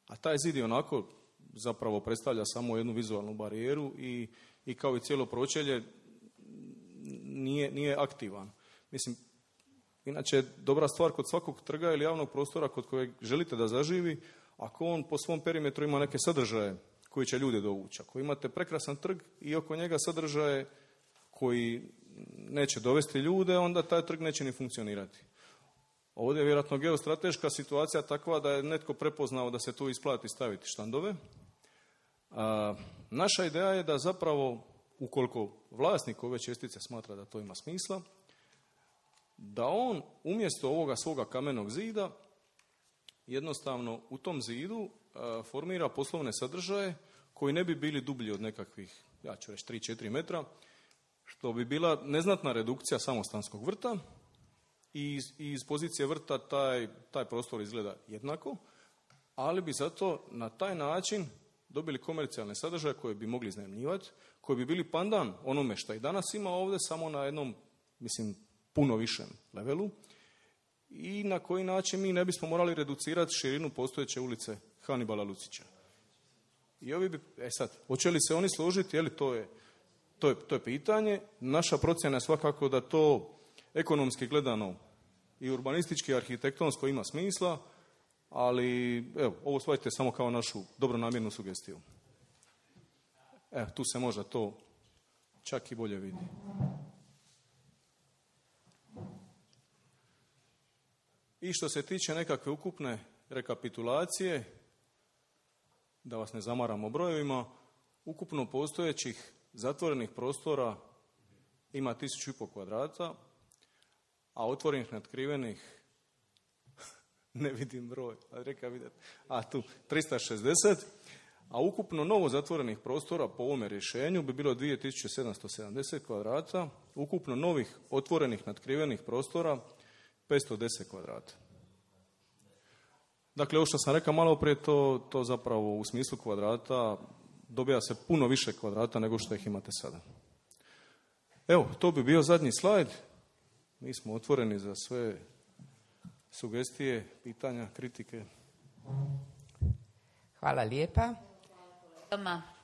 a taj zid je onako zapravo predstavlja samo jednu vizualnu barijeru i kao i cijelo pročelje nije aktivan. Mislim, inače dobra stvar kod svakog trga ili javnog prostora kod kojeg želite da zaživi, ako on po svom perimetru ima neke sadržaje koji će ljude dovući. Ako imate prekrasan trg i oko njega sadržaje koji neće dovesti ljude, onda taj trg neće ni funkcionirati. Ovdje je vjerojatno geostrateška situacija takva da je netko prepoznao da se tu isplati staviti štandove. Naša ideja je da zapravo, ukoliko vlasnik ove čestice smatra da to ima smisla, da on umjesto ovoga svoga kamenog zida jednostavno u tom zidu formira poslovne sadržaje koji ne bi bili dublji od nekakvih, ja ću reći 3-4 metra, što bi bila neznatna redukcija samostanskog vrta i iz pozicije vrta taj prostor izgleda jednako, ali bi zato na taj način dobili komercijalne sadržaje koje bi mogli iznajmljivati, koji bi bili pandan onome što i danas ima ovdje, samo na jednom, mislim, puno višem levelu i na koji način mi ne bismo morali reducirati širinu postojeće ulice Hanibala Lucića. I ovi bi, sad, hoće li se oni složiti, je li to je pitanje. Naša procjena je svakako da to ekonomski gledano i urbanistički i arhitektonsko ima smisla, ali evo, ovo shvatite samo kao našu dobronamjernu sugestiju. Evo, tu se možda to čak i bolje vidi. I što se tiče nekakve ukupne rekapitulacije, da vas ne zamaramo brojevima, ukupno postojećih zatvorenih prostora ima 1500 kvadrata, a otvorenih natkrivenih ne vidim broj, tu 360, a ukupno novo zatvorenih prostora po ovome rješenju bi bilo 2770 kvadrata, ukupno novih otvorenih natkrivenih prostora 510 kvadrata. Dakle, ovo što sam rekao malo prije, to zapravo u smislu kvadrata dobija se puno više kvadrata nego što ih imate sada. Evo, to bi bio zadnji slajd. Mi smo otvoreni za sve sugestije, pitanja, kritike. Hvala lijepa.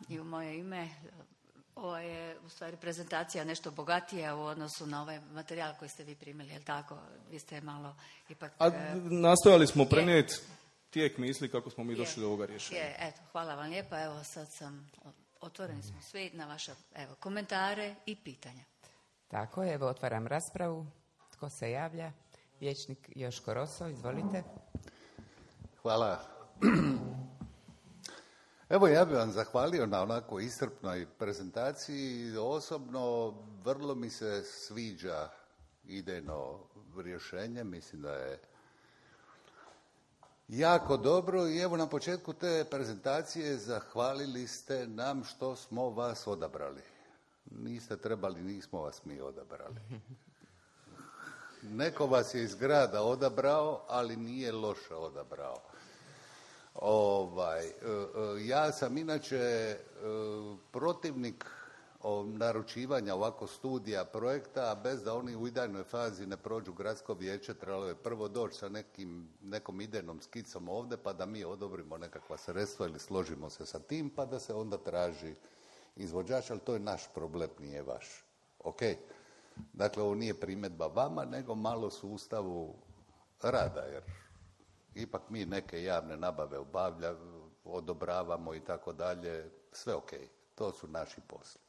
I u moje ime, ovo je u stvari prezentacija nešto bogatija u odnosu na ovaj materijal koji ste vi primili, je li tako? Vi ste malo ipak... Nastojali smo prenijeti tijek misli kako smo mi došli do ovoga rješenja. Eto, hvala vam lijepa. Evo, sad otvoreni smo svi na vaše komentare i pitanja. Tako je, evo otvaram raspravu. Tko se javlja? Vijećnik Joško Roso, izvolite. Hvala. Evo, ja bih vam zahvalio na onako iscrpnoj prezentaciji. Osobno vrlo mi se sviđa idejno rješenje. Mislim da je jako dobro i evo na početku te prezentacije zahvalili ste nam što smo vas odabrali. Niste trebali, nismo vas mi odabrali. Neko vas je iz grada odabrao, ali nije loše odabrao. Ja sam inače protivnik naručivanja ovako studija projekta, bez da oni u idejnoj fazi ne prođu gradsko vijeće, trebalo je prvo doći sa nekom idejnom skicom ovdje, pa da mi odobrimo nekakva sredstva ili složimo se sa tim, pa da se onda traži izvođač, ali to je naš problem, nije vaš. Ok. Dakle, ovo nije primjedba vama, nego malo sustavu rada, jer ipak mi neke javne nabave odobravamo i tako dalje, sve ok, to su naši posli.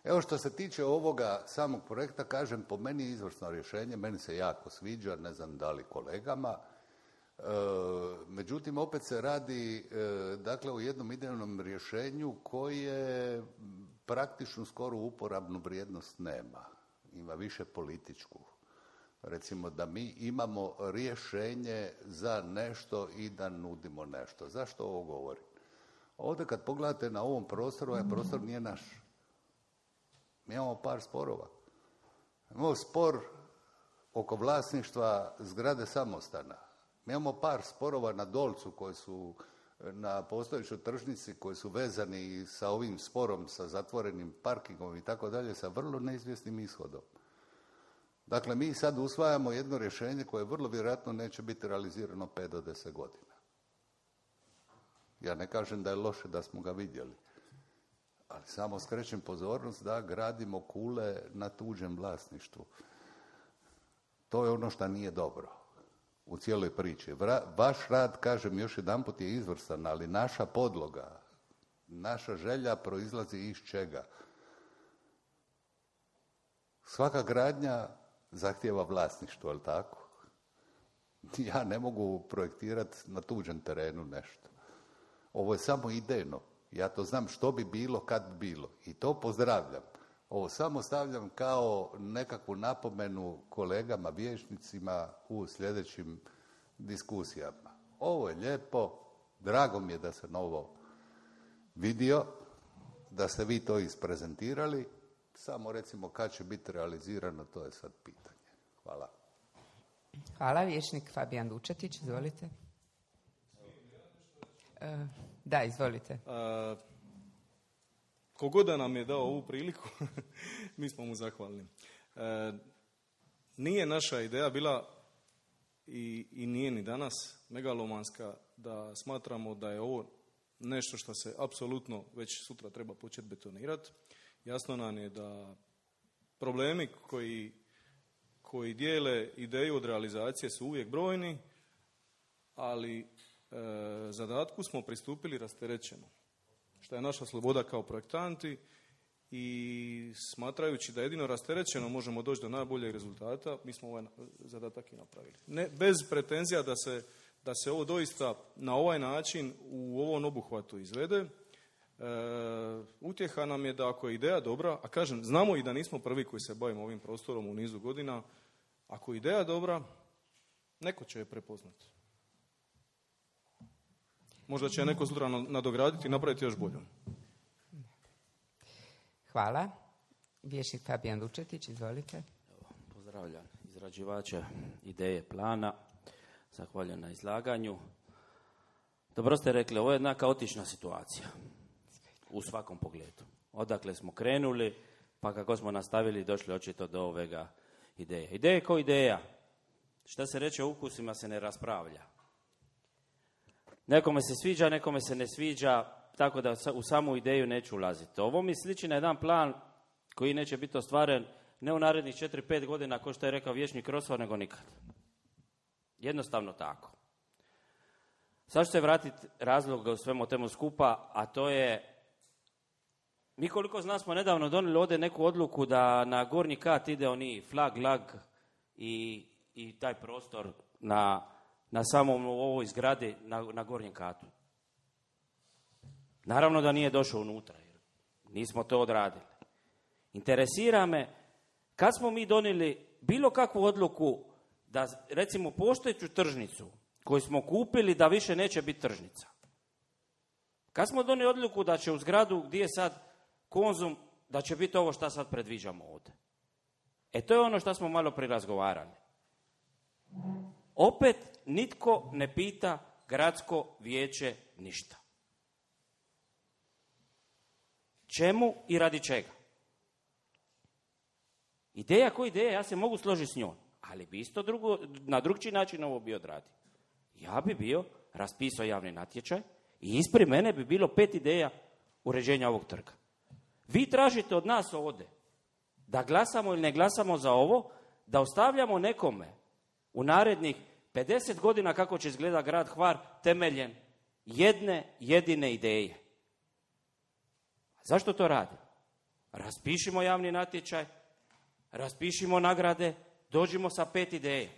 Evo što se tiče ovoga samog projekta, kažem, po meni je izvrsno rješenje, meni se jako sviđa, ne znam da li kolegama, međutim opet se radi dakle o jednom idejnom rješenju koje praktično skoro uporabnu vrijednost nema, ima više političku. Recimo da mi imamo rješenje za nešto i da nudimo nešto. Zašto ovo govorim? Ovdje kad pogledate na ovom prostoru, ovaj prostor nije naš. Mi imamo par sporova. Imamo spor oko vlasništva zgrade samostana. Mi imamo par sporova na Dolcu koji su na postojećoj tržnici koji su vezani sa ovim sporom, sa zatvorenim parkingom i tako dalje, sa vrlo neizvjesnim ishodom. Dakle, mi sad usvajamo jedno rješenje koje vrlo vjerojatno neće biti realizirano 5 do 10 godina. Ja ne kažem da je loše da smo ga vidjeli. Ali samo skrećem pozornost da gradimo kule na tuđem vlasništvu. To je ono što nije dobro u cijeloj priči. Vaš rad, kažem još jedanput, je izvrstan, ali naša podloga, naša želja proizlazi iz čega? Svaka gradnja zahtijeva vlasništvo, je li tako? Ja ne mogu projektirati na tuđem terenu nešto. Ovo je samo idejno. Ja to znam što bi bilo kad bi bilo. I to pozdravljam. Ovo samo stavljam kao nekakvu napomenu kolegama, vijećnicima u sljedećim diskusijama. Ovo je lijepo, drago mi je da sam ovo vidio, da ste vi to isprezentirali, samo recimo kad će biti realizirano, to je sad pitanje. Hvala. Hvala, vijećnik Fabijan Dučetić, izvolite. Da, izvolite. Kogod da nam je dao ovu priliku, mi smo mu zahvalni. Nije naša ideja bila i nije ni danas megalomanska da smatramo da je ovo nešto što se apsolutno već sutra treba početi betonirati. Jasno nam je da problemi koji dijele ideju od realizacije su uvijek brojni, ali zadatku smo pristupili rasterećeno, što je naša sloboda kao projektanti i smatrajući da jedino rasterećeno možemo doći do najboljeg rezultata, mi smo ovaj zadatak i napravili. Ne, bez pretenzija da se ovo doista na ovaj način u ovom obuhvatu izvede. Utjeha nam je da ako je ideja dobra, a kažem, znamo i da nismo prvi koji se bavimo ovim prostorom u nizu godina, ako je ideja dobra, neko će je prepoznati. Možda će neko sutra nadograditi i napraviti još boljom. Hvala. Vijećnik Fabijan Dučetić, izvolite. Pozdravljam izrađivača ideje plana. Zahvaljujem na izlaganju. Dobro ste rekli, ovo je jedna kaotična situacija u svakom pogledu. Odakle smo krenuli, pa kako smo nastavili, došli očito do ovega ideje. Ideja kao ideja. Šta se reče o ukusima se ne raspravlja. Nekome se sviđa, nekome se ne sviđa, tako da u samu ideju neću ulaziti. Ovo mi sliči na jedan plan koji neće biti ostvaren ne u narednih 4-5 godina, kao što je rekao vijećnik Rosvar, nego nikad. Jednostavno tako. Sad ću se vratiti razloga u svemu temu skupa, a to je, mi koliko zna smo nedavno donijeli ovdje neku odluku da na gornji kat ide oni flag, lag i taj prostor na samom ovoj zgradi na gornjem katu. Naravno da nije došao unutra, jer nismo to odradili. Interesira me, kad smo mi donijeli bilo kakvu odluku da, recimo, postojeću tržnicu koju smo kupili da više neće biti tržnica. Kad smo donijeli odluku da će u zgradu gdje je sad Konzum, da će biti ovo što sad predviđamo ovdje. To je ono što smo malo prirazgovarali. Opet nitko ne pita gradsko vijeće ništa. Čemu i radi čega? Ideja ko ideja, ja se mogu složiti s njom, ali bi isto na drugčiji način ovo bi odradio. Ja bi bio raspisao javni natječaj i ispred mene bi bilo 5 ideja uređenja ovog trga. Vi tražite od nas ovdje da glasamo ili ne glasamo za ovo, da ostavljamo nekome u narednih 50 godina kako će izgleda grad Hvar temeljem jedne jedine ideje. Zašto to radi? Raspišimo javni natječaj, raspišimo nagrade, dođimo sa 5 ideja.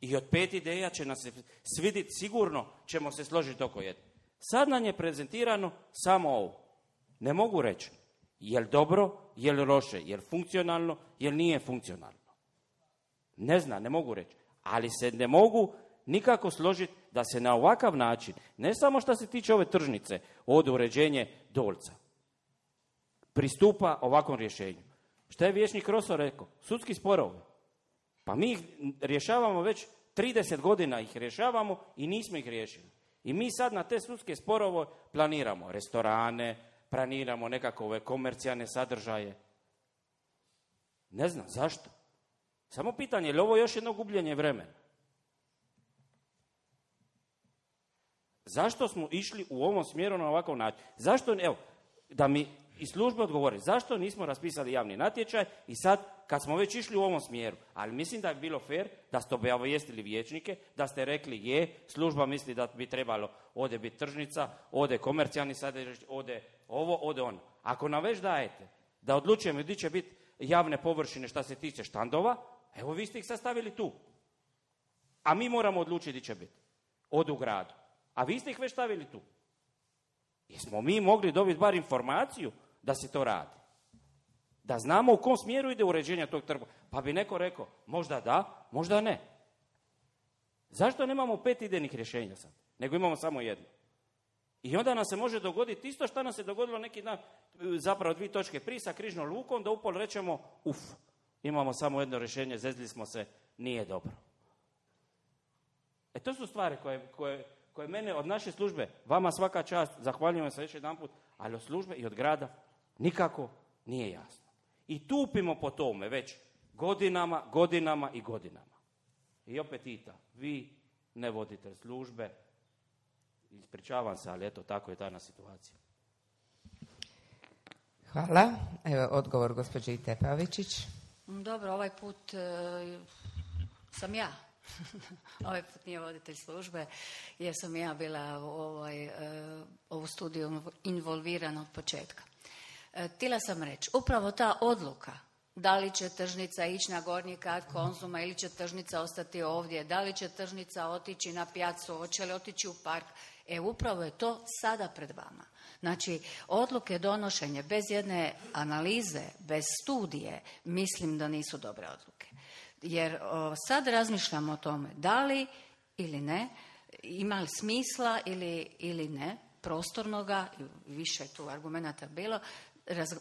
I od 5 ideja će nas se svidjeti, sigurno ćemo se složiti oko jedne. Sad nam je prezentirano samo ovo. Ne mogu reći je li dobro, je li loše, je li funkcionalno, je li nije funkcionalno. Ne znam, ne mogu reći. Ali se ne mogu nikako složiti da se na ovakav način, ne samo što se tiče ove tržnice, od uređenje Dolca, pristupa ovakvom rješenju. Šta je vijećnik Roso rekao? Sudski sporovi. Pa mi ih rješavamo već 30 godina ih rješavamo i nismo ih riješili. I mi sad na te sudske sporove planiramo restorane, planiramo nekakve komercijalne sadržaje. Ne znam zašto. Samo pitanje, je li ovo još jedno gubljenje vremena? Zašto smo išli u ovom smjeru na ovakav način? Zašto, evo, da mi iz službe odgovori, zašto nismo raspisali javni natječaj i sad, kad smo već išli u ovom smjeru, ali mislim da je bilo fair da ste obavijestili vijećnike, da ste rekli služba misli da bi trebalo ovdje biti tržnica, ovdje komercijalni sadržaj, ovdje ovo, ovdje ono. Ako nam već dajete da odlučujemo gdje će biti javne površine što se tiče štandova, evo vi ste ih sastavili tu. A mi moramo odlučiti gdje će biti. Od u gradu. A vi ste ih već stavili tu. Jesmo mi mogli dobiti bar informaciju da se to radi? Da znamo u kom smjeru ide uređenje tog trga. Pa bi neko rekao, možda da, možda ne. Zašto nemamo 5 idejnih rješenja sad? Nego imamo samo jedno. I onda nam se može dogoditi isto što nam se dogodilo neki dan, zapravo 2 točke prije sa Križnom lukom, da upol rečemo, imamo samo jedno rješenje, zezli smo se, nije dobro. To su stvari koje mene od naše službe, vama svaka čast, zahvaljujem se još jedanput, ali od službe i od grada nikako nije jasno. I tupimo po tome već godinama i godinama. I opet vi ne vodite službe, ispričavam se, ali eto, tako je danas situacija. Hvala. Evo odgovor gospođe Tepavičić. Dobro, ovaj put sam ja. Ovaj put nije voditelj službe, jer sam ja bila u ovu studiju involvirana od početka. Htjela sam reći, upravo ta odluka, da li će tržnica ići na gornji kat Konzuma ili će tržnica ostati ovdje, da li će tržnica otići na pijacu, hoće li otići u park, upravo je to sada pred vama. Znači, odluke donošenje bez jedne analize, bez studije, mislim da nisu dobre odluke. Jer sad razmišljamo o tome da li ili ne, ima li smisla ili ne, prostornoga, više tu argumenata bilo,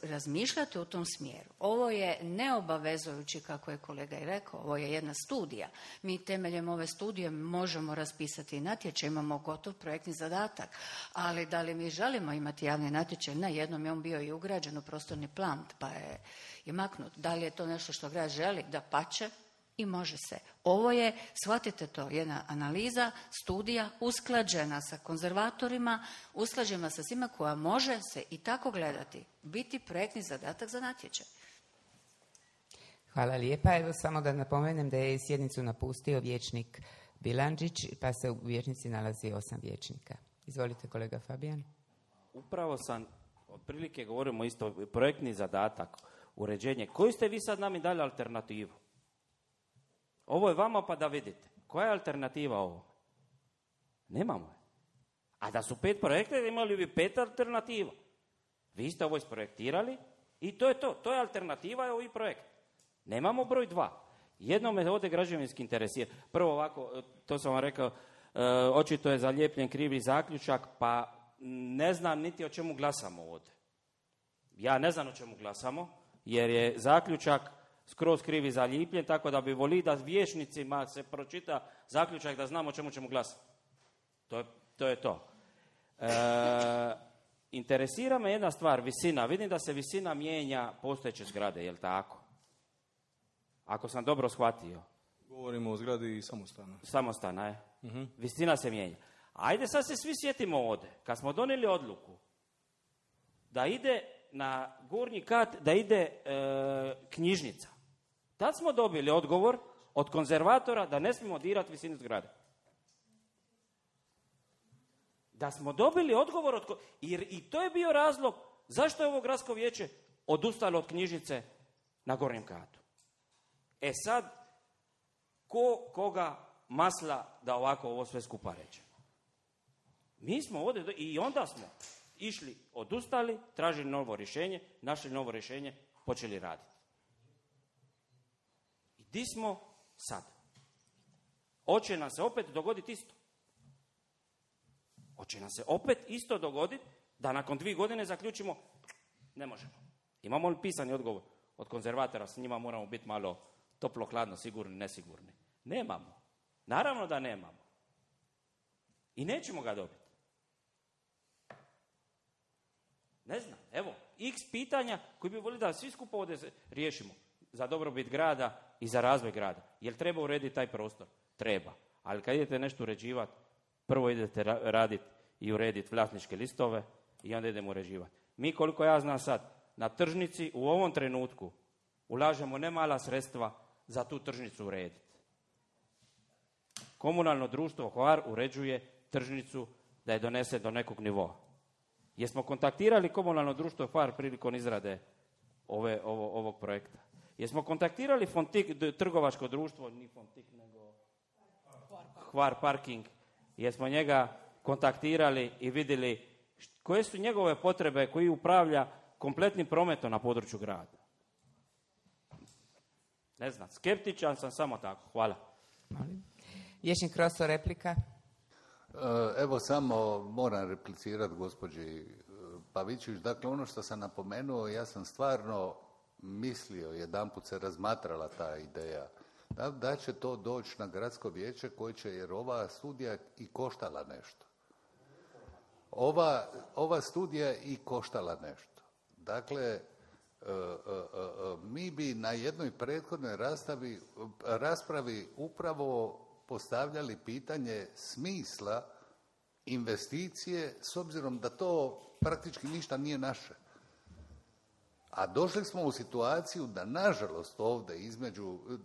razmišljati u tom smjeru. Ovo je neobavezujući, kako je kolega i rekao, ovo je jedna studija. Mi temeljem ove studije možemo raspisati natječaj, imamo gotov projektni zadatak, ali da li mi želimo imati javni natječaj? Na jednom je on bio i ugrađen u prostorni plan, pa je maknut. Da li je to nešto što grad želi? Dapače, i može se. Ovo je, shvatite to, jedna analiza, studija, usklađena sa konzervatorima, usklađena sa svima, koja može se i tako gledati, biti projektni zadatak za natječaj. Hvala lijepa. Evo samo da napomenem da je sjednicu napustio vijećnik Bilandžić, pa se u vijećnici nalazi 8 vijećnika. Izvolite, kolega Fabijan. Upravo sam, otprilike govorimo isto, projektni zadatak, uređenje. Koju ste vi sad nam dali alternativu? Ovo je vama pa da vidite. Koja je alternativa ovo? Nemamo je. A da su 5 projekta, imali bi 5 alternativa. Vi ste ovo isprojektirali i to je to. To je alternativa, je ovaj projekt. Nemamo broj 2. Jedno me ovdje građevinski interesira. Prvo ovako, to sam vam rekao, očito je zalijepljen krivi zaključak, pa ne znam niti o čemu glasamo ovdje. Ja ne znam o čemu glasamo, jer je zaključak skroz krivi zalijepljen, tako da bi volio da vijećnicima se pročita zaključak da znamo o čemu ćemo glasati. To je to. Interesira me jedna stvar, visina. Vidim da se visina mijenja postojeće zgrade, je li tako? Ako sam dobro shvatio. Govorimo o zgradi samostana. Samostana, je. Visina se mijenja. Ajde sad se svi sjetimo ovdje. Kad smo donijeli odluku da ide na gornji kat, da ide knjižnica. Tad smo dobili odgovor od konzervatora da ne smijemo dirati visinu zgrade. Da smo dobili odgovor i to je bio razlog zašto je ovo gradsko vijeće odustalo od knjižnice na gornjem katu. Sad, koga masla da ovako ovo sve skupa rećemo? Mi smo ovdje i onda smo išli, odustali, tražili novo rješenje, našli novo rješenje, počeli raditi. I di smo sad? Hoće nam se opet dogoditi isto. Hoće nam se opet isto dogoditi da nakon 2 godine zaključimo ne možemo. Imamo li pisani odgovor od konzervatora, s njima moramo biti malo toplo, hladno, sigurni, nesigurni? Nemamo. Naravno da nemamo. I nećemo ga dobiti. Ne znam, evo, x pitanja koji bi volili da svi skupo ovdje riješimo za dobrobit grada i za razvoj grada. Jel treba urediti taj prostor? Treba. Ali kad idete nešto uređivati, prvo idete raditi i urediti vlasničke listove i onda idemo uređivati. Mi, koliko ja znam sad, na tržnici u ovom trenutku ulažemo nemala sredstva za tu tržnicu urediti. Komunalno društvo Hvar uređuje tržnicu da je donese do nekog nivoa. Jesmo kontaktirali komunalno društvo Hvar prilikom izrade ovog projekta? Jesmo kontaktirali Fontik, trgovačko društvo, ni Fontik nego Hvar Parking, jesmo njega kontaktirali i vidjeli koje su njegove potrebe koji upravlja kompletnim prometom na području grada. Ne znam, skeptičan sam samo tako. Hvala. Vijećnik Roso, replika. Evo samo moram replicirati gospođi Pavićević. Dakle, ono što sam napomenuo, ja sam stvarno mislio, jedanput se razmatrala ta ideja, da će to doći na gradsko vijeće koje će, jer ova studija i koštala nešto. Ova studija i koštala nešto. Dakle, mi bi na jednoj prethodnoj raspravi upravo postavljali pitanje smisla investicije s obzirom da to praktički ništa nije naše. A došli smo u situaciju da nažalost ovdje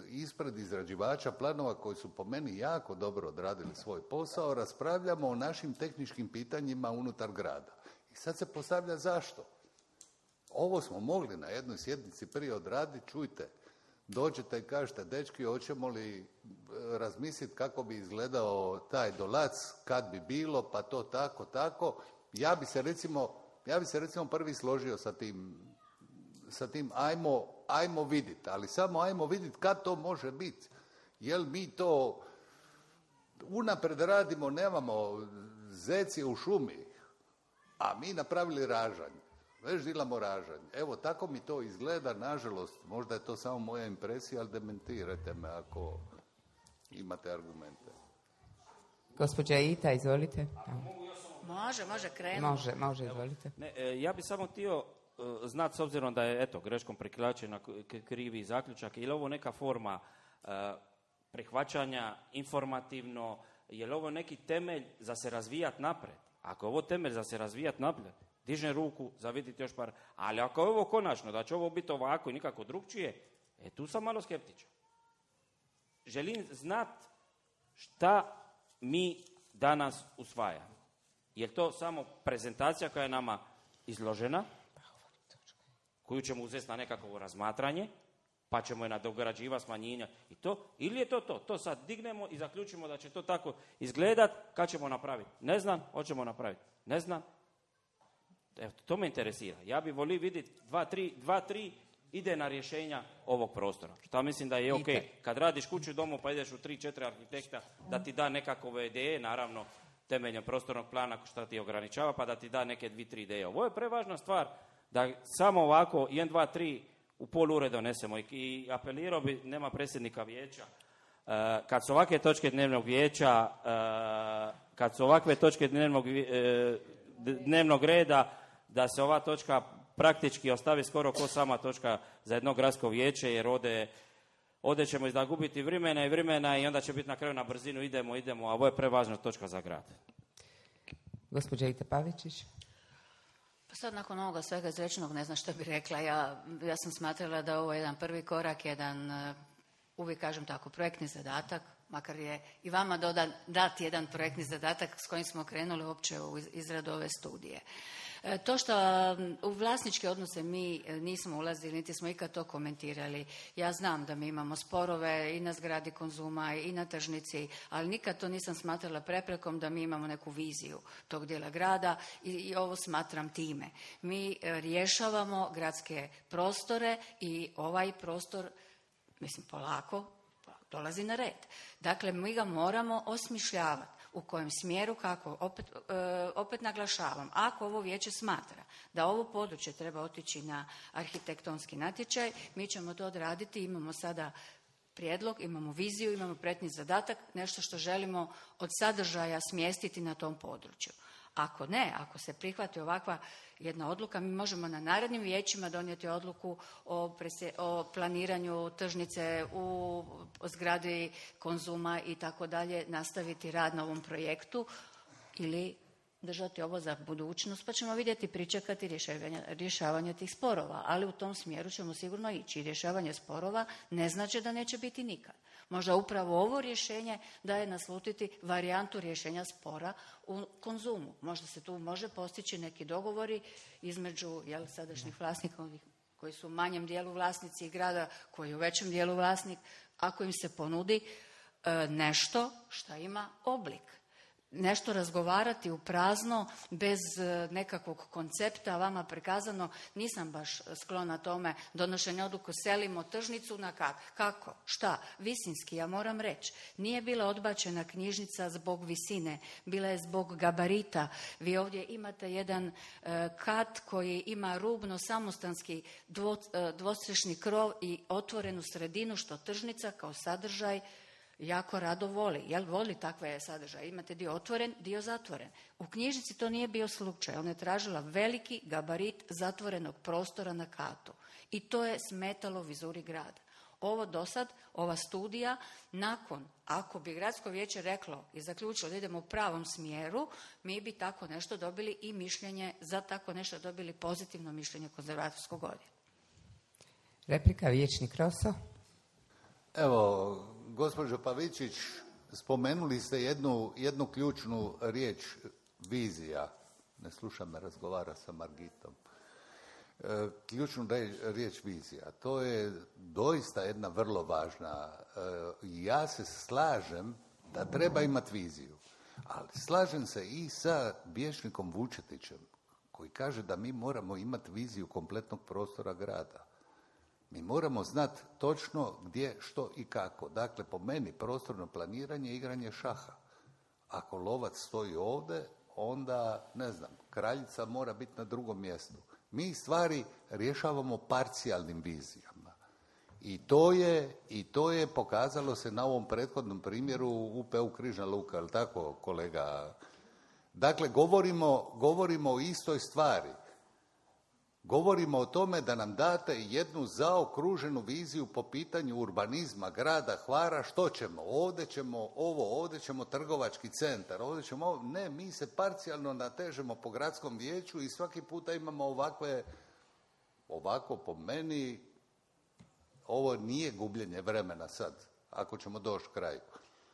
ispred izrađivača planova koji su po meni jako dobro odradili svoj posao, raspravljamo o našim tehničkim pitanjima unutar grada. I sad se postavlja zašto? Ovo smo mogli na jednoj sjednici prije odraditi, čujte, dođete i kažete, dečki, hoćemo li razmisliti kako bi izgledao taj Dolac, kad bi bilo, pa to tako. Ja bi se recimo prvi složio sa tim ajmo vidjeti, ali samo ajmo vidjeti kad to može biti. Jel mi to unapred radimo, nemamo zeci u šumi, a mi napravili ražanje. Već dilamo ražanje. Evo, tako mi to izgleda, nažalost, možda je to samo moja impresija, ali dementirajte me ako imate argumente. Gospođa Ita, izvolite. Može krenuti. Može, izvolite. Ne, ja bi samo htio znati, s obzirom da je, greškom preklačena krivi zaključak, je li ovo neka forma prihvaćanja informativno, je li ovo neki temelj za se razvijati napred? Ako je ovo temelj za se razvijati napred, dižem ruku za vidjeti još par, ali ako je ovo konačno, da će ovo biti ovako i nikako drugčije, tu sam malo skeptičan. Želim znati šta mi danas usvajamo. Je li to samo prezentacija koja je nama izložena, koju ćemo uzeti na nekakvo razmatranje, pa ćemo je nadograđivati, smanjenja i to, ili je to? To sad dignemo i zaključimo da će to tako izgledat, kad ćemo napraviti? Ne znam, hoćemo napraviti. Ne znam. Evo, to me interesira. Ja bi volio vidjeti 2-3 idejna rješenja ovog prostora. Šta mislim da je ok. Kad radiš kuću domu pa ideš u 3-4 arhitekta da ti da nekakve ideje, naravno temeljem prostornog plana što ti ograničava, pa da ti da neke 2-3 ideje. Ovo je prevažna stvar da samo ovako 1, 2, 3 u pol ure donesemo. I apelirao bi, nema predsjednika vijeća, kad su ovakve točke dnevnog vijeća, kad su ovakve točke dnevnog reda, da se ova točka praktički ostavi skoro ko sama točka za jedno gradsko vijeće, jer ovdje ćemo izgubiti vremena i onda će biti na kraju na brzinu idemo, a ovo je prevažna točka za grad. Gospođa Ita Pavičić. Pa sad nakon ovoga svega izrečenog ne znam što bi rekla. Ja sam smatrala da ovo je jedan prvi korak, jedan, uvijek kažem tako, projektni zadatak, makar je i vama dati jedan projektni zadatak s kojim smo krenuli uopće u izradu ove studije. To što u vlasničke odnose mi nismo ulazili, niti smo ikad to komentirali. Ja znam da mi imamo sporove i na zgradi Konzuma i na tržnici, ali nikad to nisam smatrala preprekom da mi imamo neku viziju tog dijela grada i ovo smatram time. Mi rješavamo gradske prostore i ovaj prostor, mislim, polako dolazi na red. Dakle, mi ga moramo osmišljavati. U kojem smjeru, kako, opet naglašavam, ako ovo vijeće smatra da ovo područje treba otići na arhitektonski natječaj, mi ćemo to odraditi, imamo sada prijedlog, imamo viziju, imamo projektni zadatak, nešto što želimo od sadržaja smjestiti na tom području. Ako ne, ako se prihvati ovakva jedna odluka, mi možemo na narednim vijećima donijeti odluku o planiranju tržnice u zgradi Konzuma i tako dalje, nastaviti rad na ovom projektu ili držati ovo za budućnost, pa ćemo vidjeti, pričekati rješavanje tih sporova. Ali u tom smjeru ćemo sigurno ići. Rješavanje sporova ne znači da neće biti nikad. Možda upravo ovo rješenje daje naslutiti varijantu rješenja spora u Konzumu. Možda se tu može postići neki dogovori između sadašnjih vlasnika, onih koji su u manjem dijelu vlasnici i grada koji je u većem dijelu vlasnik, ako im se ponudi nešto što ima oblik. Nešto razgovarati u prazno, bez nekakvog koncepta, vama prikazano, nisam baš sklona tome donošenja odluku, selimo tržnicu na kako, šta, visinski, ja moram reći. Nije bila odbačena knjižnica zbog visine, bila je zbog gabarita. Vi ovdje imate jedan kat koji ima rubno samostanski dvostrešni krov i otvorenu sredinu, što tržnica kao sadržaj jako rado voli. Voli takve sadržaje. Imate dio otvoren, dio zatvoren. U knjižnici to nije bio slučaj. Ona je tražila veliki gabarit zatvorenog prostora na katu. I to je smetalo vizuri grada. Ovo do sad, ova studija, nakon, ako bi gradsko vijeće reklo i zaključilo da idemo u pravom smjeru, mi bi tako nešto dobili i mišljenje, za tako nešto dobili pozitivno mišljenje konzervatorskog odjela. Replika, vijećnik Roso. Evo, gospođo Pavičić, spomenuli ste jednu ključnu riječ, vizija. Ne slušam me, razgovara sa Margitom. Ključnu riječ vizija. To je doista jedna vrlo važna. Ja se slažem da treba imati viziju. Ali slažem se i sa vijećnikom Vučetićem koji kaže da mi moramo imati viziju kompletnog prostora grada. Mi moramo znati točno gdje, što i kako. Dakle, po meni prostorno planiranje je igranje šaha. Ako lovac stoji ovdje, onda, ne znam, kraljica mora biti na drugom mjestu. Mi stvari rješavamo parcijalnim vizijama. I to je pokazalo se na ovom prethodnom primjeru UPU Križna Luka, je li tako, kolega? Dakle, govorimo o istoj stvari. Govorimo o tome da nam date jednu zaokruženu viziju po pitanju urbanizma grada Hvara. Što ćemo? Ovdje ćemo trgovački centar, ovdje ćemo... Ne, mi se parcijalno natežemo po gradskom vijeću i svaki puta imamo ovako po meni, ovo nije gubljenje vremena sad, ako ćemo doći kraju.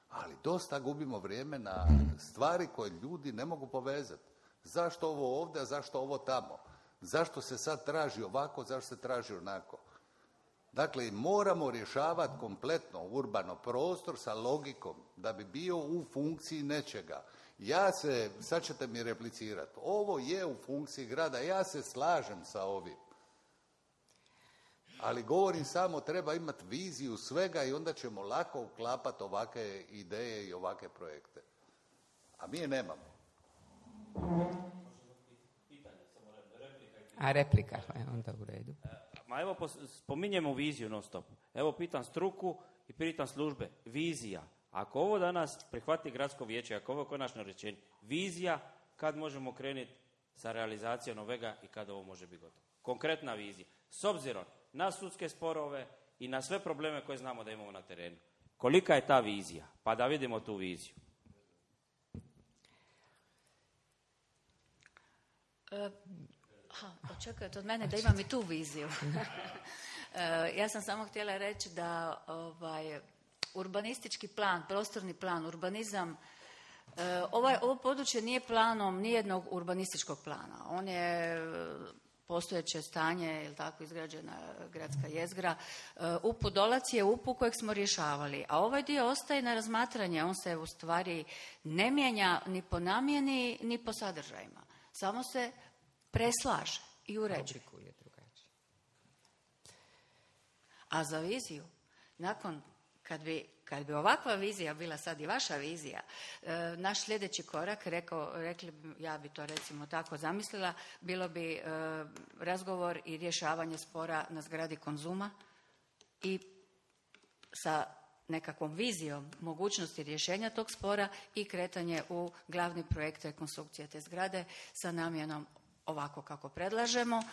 Ali dosta gubimo vrijeme na stvari koje ljudi ne mogu povezati. Zašto ovo ovdje, a zašto ovo tamo? Zašto se sad traži ovako, zašto se traži onako? Dakle, moramo rješavati kompletno urbano prostor sa logikom da bi bio u funkciji nečega. Sad ćete mi replicirati, ovo je u funkciji grada, ja se slažem sa ovim. Ali govorim samo, treba imati viziju svega i onda ćemo lako uklapati ovakve ideje i ovakve projekte. A mi je nemamo. A replika, onda u redu. Ma evo, spominjemo viziju non stop. Evo, pitam struku i pitam službe. Vizija. Ako ovo danas prihvati gradsko vijeće, ako ovo je konačno rečenje, vizija, kad možemo krenuti sa realizacijom ovega i kad ovo može biti gotovo. Konkretna vizija. S obzirom na sudske sporove i na sve probleme koje znamo da imamo na terenu. Kolika je ta vizija? Pa da vidimo tu viziju. Očekujete od mene da imam i tu viziju. Ja sam samo htjela reći da urbanistički plan, prostorni plan, urbanizam, ovo područje nije planom nijednog urbanističkog plana. On je postojeće stanje, ili tako izgrađena gradska jezgra. UPU Dolac je UPU kojeg smo rješavali, a ovaj dio ostaje na razmatranje. On se u stvari ne mijenja ni po namjeni, ni po sadržajima. Samo se preslaže i uređuje. A za viziju, nakon, kad bi ovakva vizija bila sad i vaša vizija, naš sljedeći korak, rekli bi, ja bi to recimo tako zamislila, bilo bi razgovor i rješavanje spora na zgradi Konzuma i sa nekakvom vizijom mogućnosti rješenja tog spora i kretanje u glavni projekt rekonstrukcije te zgrade sa namjenom ovako kako predlažemo.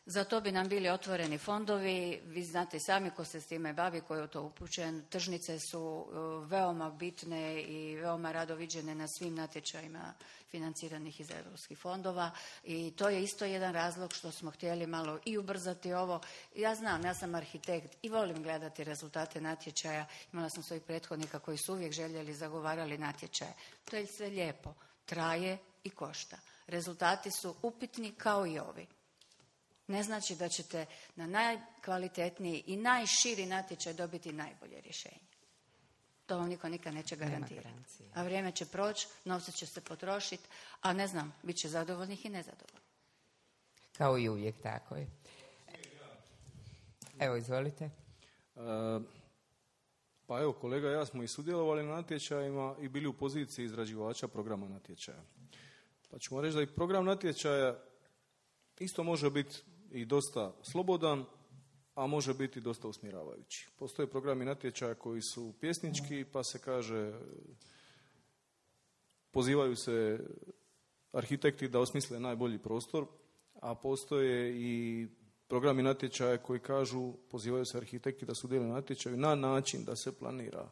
Za to bi nam bili otvoreni fondovi, vi znate sami ko se s time bavi, ko je u to upućen. Tržnice su veoma bitne i veoma rado viđene na svim natječajima financiranih iz europskih fondova i to je isto jedan razlog što smo htjeli malo i ubrzati ovo. Ja znam, ja sam arhitekt i volim gledati rezultate natječaja. Imala sam svojih prethodnika koji su uvijek željeli, zagovarali natječaje. To je sve lijepo, traje i košta. Rezultati su upitni kao i ovi. Ne znači da ćete na najkvalitetniji i najširi natječaj dobiti najbolje rješenje. To vam niko nikad neće garantirati. A vrijeme će proći, novci će se potrošiti, a ne znam, bit će zadovoljnih i nezadovoljnih. Kao i uvijek, tako je. Evo, izvolite. Pa evo, kolega i ja smo i sudjelovali na natječajima i bili u poziciji izrađivača programa natječaja. Pa ćemo reći da i program natječaja isto može biti i dosta slobodan, a može biti dosta usmjeravajući. Postoje programi natječaja koji su pjesnički, pa se kaže, pozivaju se arhitekti da osmisle najbolji prostor, a postoje i programi natječaja koji kažu, pozivaju se arhitekti da sudjeluju na natječaju na način da se planira.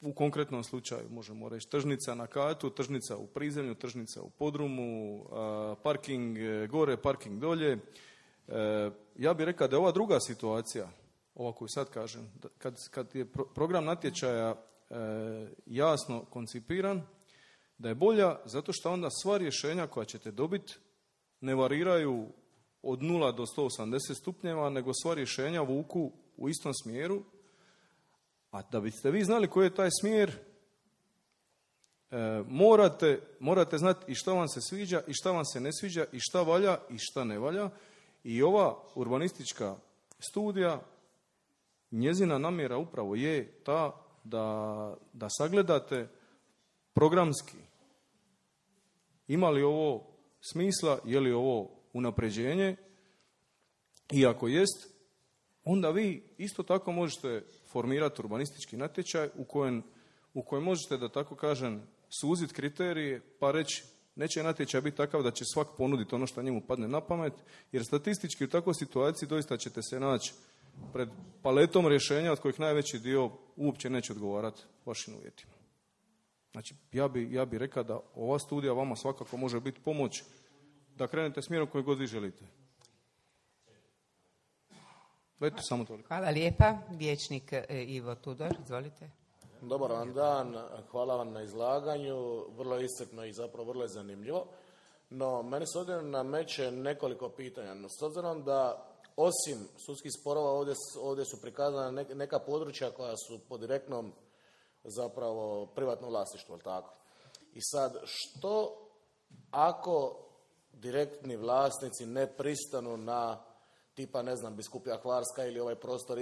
U konkretnom slučaju možemo reći tržnica na katu, tržnica u prizemlju, tržnica u podrumu, parking gore, parking dolje. Ja bih rekao da je ova druga situacija, ova koju sad kažem, kad je program natječaja jasno koncipiran, da je bolja zato što onda sva rješenja koja ćete dobiti ne variraju od 0 do 180 stupnjeva, nego sva rješenja vuku u istom smjeru. A da biste vi znali koji je taj smjer, morate znati i šta vam se sviđa i šta vam se ne sviđa i šta valja i šta ne valja. I ova urbanistička studija, njezina namjera upravo je ta da sagledate programski ima li ovo smisla, je li ovo unapređenje i ako jest, onda vi isto tako možete formirati urbanistički natječaj u kojem možete, da tako kažem, suziti kriterije pa reći neće natječaj biti takav da će svak ponuditi ono što njemu padne na pamet, jer statistički u takvoj situaciji doista ćete se naći pred paletom rješenja od kojih najveći dio uopće neće odgovarati vašim uvjetima. Znači, ja bi rekao da ova studija vama svakako može biti pomoć da krenete smjerom koji god vi želite. Eto, samo toliko. Hvala lijepa. Vijećnik Ivo Tudor, izvolite. Dobar vam dan, hvala vam na izlaganju, vrlo je iscrpno i zapravo vrlo je zanimljivo. No, meni se ovdje nameće nekoliko pitanja. No, s obzirom da osim sudskih sporova ovdje su prikazana neka područja koja su pod direktnom zapravo privatnom vlasništvu, ali tako? I sad, što ako direktni vlasnici ne pristanu na tipa, ne znam, Biskupija Hvarska ili ovaj prostor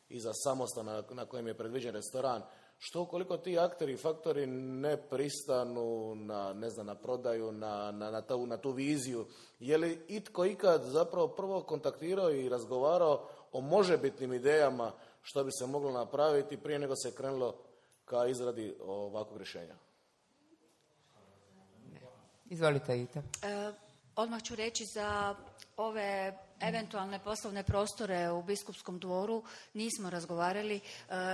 iza samostana na kojem je predviđen restoran, što ukoliko ti akteri i faktori ne pristanu na, ne znam, na prodaju, na tu viziju, je li itko ikad zapravo prvo kontaktirao i razgovarao o možebitnim idejama što bi se moglo napraviti prije nego se krenulo ka izradi ovakvog rješenja? Izvolite, Ita. Odmah ću reći za ove eventualne poslovne prostore u Biskupskom dvoru nismo razgovarali.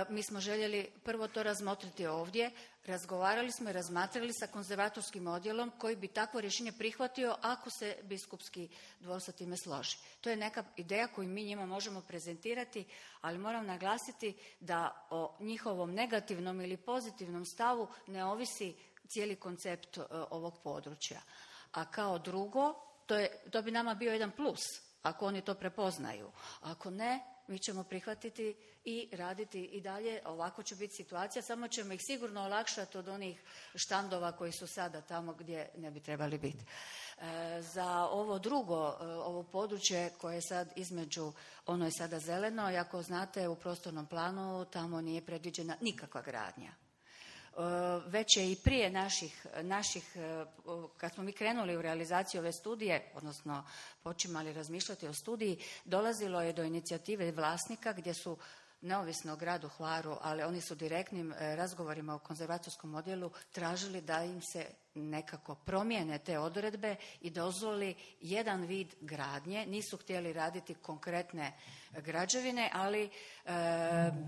Mi smo željeli prvo to razmotriti ovdje. Razgovarali smo i razmatrali sa konzervatorskim odjelom koji bi takvo rješenje prihvatio ako se Biskupski dvor sa time složi. To je neka ideja koju mi njima možemo prezentirati, ali moram naglasiti da o njihovom negativnom ili pozitivnom stavu ne ovisi cijeli koncept ovog područja. A kao drugo, to bi nama bio jedan plus, ako oni to prepoznaju. Ako ne, mi ćemo prihvatiti i raditi i dalje. Ovako će biti situacija, samo ćemo ih sigurno olakšati od onih štandova koji su sada tamo gdje ne bi trebali biti. Za ovo drugo, ovo područje koje je sad između, ono je sada zeleno, i ako znate u prostornom planu tamo nije predviđena nikakva gradnja. Već je i prije naših, kad smo mi krenuli u realizaciju ove studije, odnosno počimali razmišljati o studiji, dolazilo je do inicijative vlasnika gdje su neovisno o gradu Hvaru, ali oni su direktnim razgovorima u konzervatorskom odjelu tražili da im se nekako promijene te odredbe i dozvoli jedan vid gradnje. Nisu htjeli raditi konkretne građevine, ali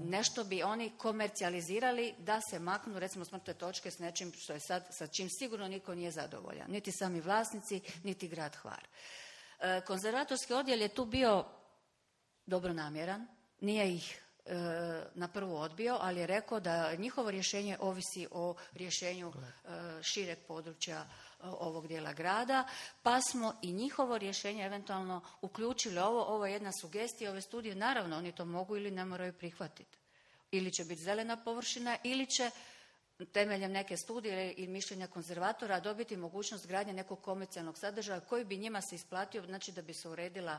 nešto bi oni komercijalizirali da se maknu recimo s mrtve točke s nečim što je sad, sa čim sigurno niko nije zadovoljan. Niti sami vlasnici, niti grad Hvar. Konzervatorski odjel je tu bio dobronamjeran, nije ih na prvu odbio, ali je rekao da njihovo rješenje ovisi o rješenju šireg područja ovog dijela grada, pa smo i njihovo rješenje eventualno uključili. Ovo je jedna sugestija ove studije, naravno oni to mogu ili ne moraju prihvatiti. Ili će biti zelena površina, ili će temeljem neke studije i mišljenja konzervatora dobiti mogućnost gradnje nekog komercijalnog sadržaja koji bi njima se isplatio, znači da bi se uredila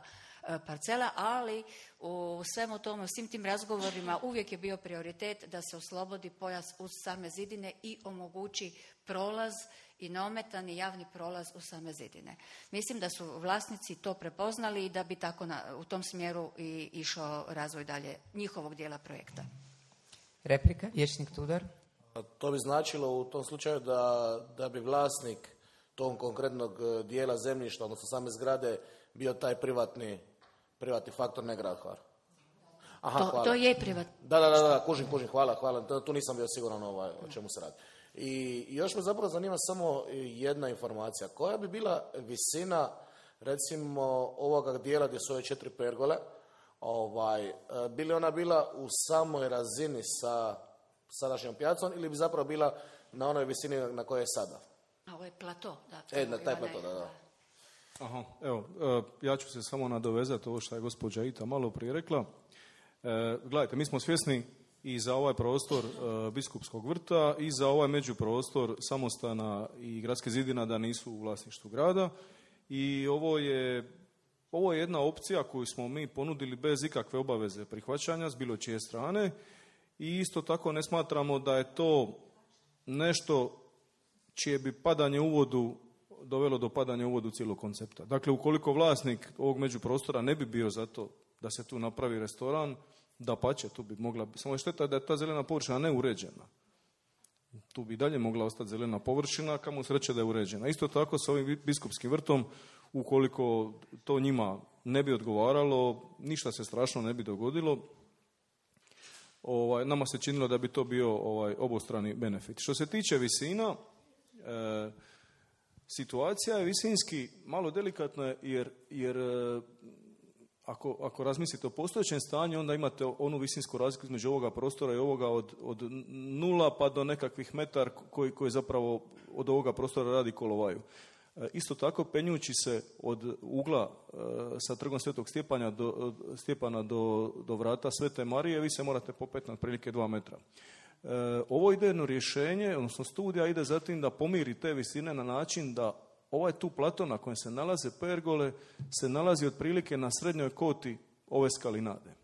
parcela, ali u svemu tomu, u svim tim razgovorima uvijek je bio prioritet da se oslobodi pojas uz same zidine i omogući prolaz i neometani javni prolaz u same zidine. Mislim da su vlasnici to prepoznali i da bi tako u tom smjeru i išao razvoj dalje njihovog dijela projekta. Replika, vijećnik Tudor. To bi značilo u tom slučaju da bi vlasnik tog konkretnog dijela zemljišta, odnosno same zgrade, bio taj privatni faktor, ne grad Hvar. Aha, to je privatni. Da, kužim, hvala. Tu nisam bio siguran o čemu se radi. I još me zapravo zanima samo jedna informacija. Koja bi bila visina, recimo, ovoga dijela gdje su ove 4 pergole, bi li ona bila u samoj razini sa sadašnjom pijacom ili bi zapravo bila na onoj visini na kojoj je sada? Ovo je plato, da. Na taj plato, da. Aha, evo, ja ću se samo nadovezati ovo što je gospođa Ita malo prije rekla. Gledajte, mi smo svjesni i za ovaj prostor Biskupskog vrta i za ovaj međuprostor samostana i gradske zidina da nisu u vlasništvu grada i ovo je jedna opcija koju smo mi ponudili bez ikakve obaveze prihvaćanja s bilo čije strane i isto tako ne smatramo da je to nešto čije bi padanje u vodu dovelo do padanja u vodu cijelog koncepta. Dakle, ukoliko vlasnik ovog međuprostora ne bi bio za to da se tu napravi restoran, dapače, tu bi mogla, samo je šteta da je ta zelena površina neuređena. Tu bi dalje mogla ostati zelena površina, kamo sreće da je uređena. Isto tako sa ovim biskupskim vrtom, ukoliko to njima ne bi odgovaralo, ništa se strašno ne bi dogodilo. Nama se činilo da bi to bio obostrani benefit. Što se tiče visina, situacija je visinski malo delikatna jer ako razmislite o postojećem stanju, onda imate onu visinsku razliku između ovoga prostora i ovoga od 0 pa do nekakvih metar koji zapravo od ovoga prostora radi kolovaju. Isto tako, penjući se od ugla sa trgom Svetog Stjepana do vrata Svete Marije, vi se morate popeti na otprilike 2 metra. Ovo idejno rješenje, odnosno studija, ide za tim da pomiri te visine na način da ovaj tu plato na kojem se nalaze pergole se nalazi otprilike na srednjoj koti ove skalinade.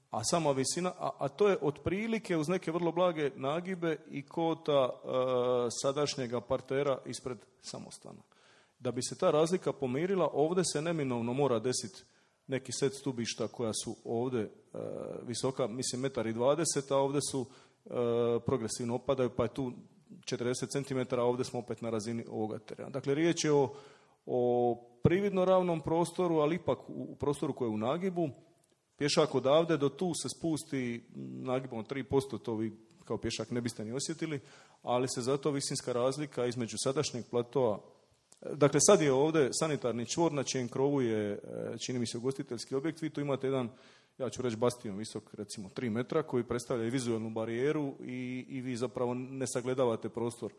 A sama visina, a to je otprilike uz neke vrlo blage nagibe i kota sadašnjega partera ispred samostana. Da bi se ta razlika pomirila, ovdje se neminovno mora desiti neki set stubišta koja su ovdje visoka, mislim 1,20 m, a ovdje su progresivno opadaju, pa je tu 40 cm, a ovdje smo opet na razini ovoga terena. Dakle, riječ je o prividno ravnom prostoru, ali ipak u prostoru koji je u nagibu. Pješak odavde do tu se spusti nagibom 3%, to vi kao pješak ne biste ni osjetili, ali se zato visinska razlika između sadašnjeg platoa. Dakle, sad je ovdje sanitarni čvor na čijem krovu je, čini mi se, ugostiteljski objekt. Vi tu imate jedan, ja ću reći, bastion visok, recimo 3 metra, koji predstavlja i vizualnu barijeru i vi zapravo ne sagledavate prostor.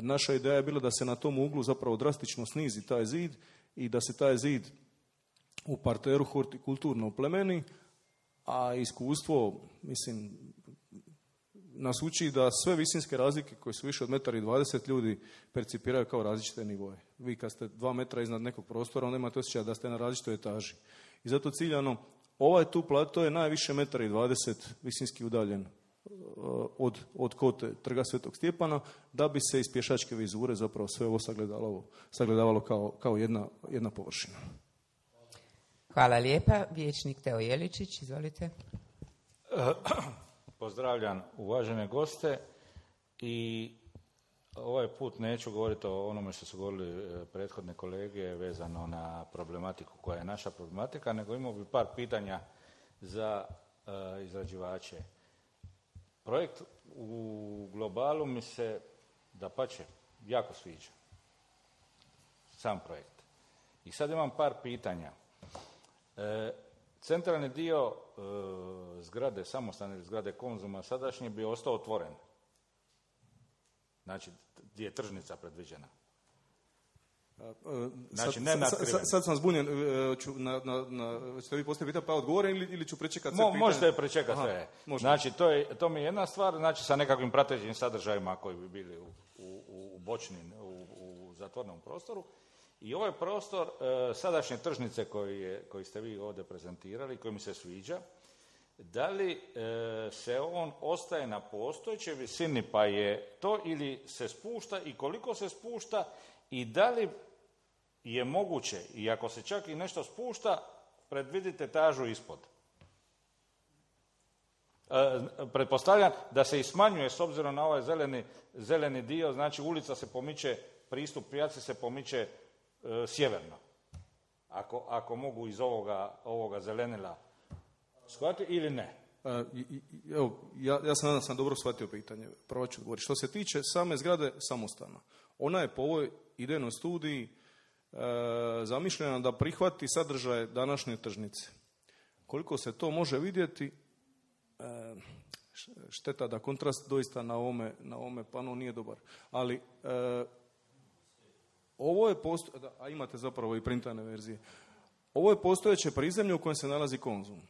Naša ideja je bila da se na tom uglu zapravo drastično snizi taj zid i da se taj zid u parteru hortikulturno oplemeni, a iskustvo, mislim, nas uči da sve visinske razlike koje su više od 1,20 m ljudi percipiraju kao različite nivoje. Vi kad ste 2 metra iznad nekog prostora, onda imate osjećaj da ste na različitoj etaži. I zato ciljano, ovaj tu plato je najviše 1,20 m visinski udaljen od kote Trga Svetog Stjepana, da bi se iz pješačke vizure zapravo sve ovo sagledavalo kao jedna površina. Hvala lijepa. Vijećnik Teo Jeličić, izvolite. Pozdravljam uvažene goste i ovaj put neću govoriti o onome što su govorili prethodne kolege vezano na problematiku koja je naša problematika, nego imao bi par pitanja za izrađivače. Projekt u globalu mi se, dapače, jako sviđa. Sam projekt. I sad imam par pitanja. Centralni dio zgrade, samostane zgrade Konzuma sadašnje bi ostao otvoren. Znači, gdje je tržnica predviđena. Znači, ne natkriven. Sad sam zbunjen. Ćete vi postaviti pitanje pa odgovorim ili ću prečekati sve pitanje? Možete prečekati sve. Znači, to mi je jedna stvar, znači sa nekakvim pratećim sadržajima koji bi bili u bočnim, u zatvornom prostoru. I ovaj prostor sadašnje tržnice koji ste vi ovdje prezentirali, koji mi se sviđa, da li se on ostaje na postojećoj visini pa je to ili se spušta i koliko se spušta i da li je moguće, i ako se čak i nešto spušta, predvidite etažu ispod. Pretpostavljam da se i smanjuje s obzirom na ovaj zeleni dio, znači ulica se pomiče, pristup pijaci se pomiče sjeverno. Ako mogu iz ovoga zelenila shvatiti ili ne? Evo, ja sam nadam sam dobro shvatio pitanje. Prvo ću odgovoriti. Što se tiče same zgrade samostana, ona je po ovoj idejnoj studiji zamišljena da prihvati sadržaje današnje tržnice. Koliko se to može vidjeti, šteta da kontrast doista na ovome panu nije dobar. Ali ovo je a imate zapravo i printane verzije. Ovo je postojeće prizemlje u kojem se nalazi Konzum.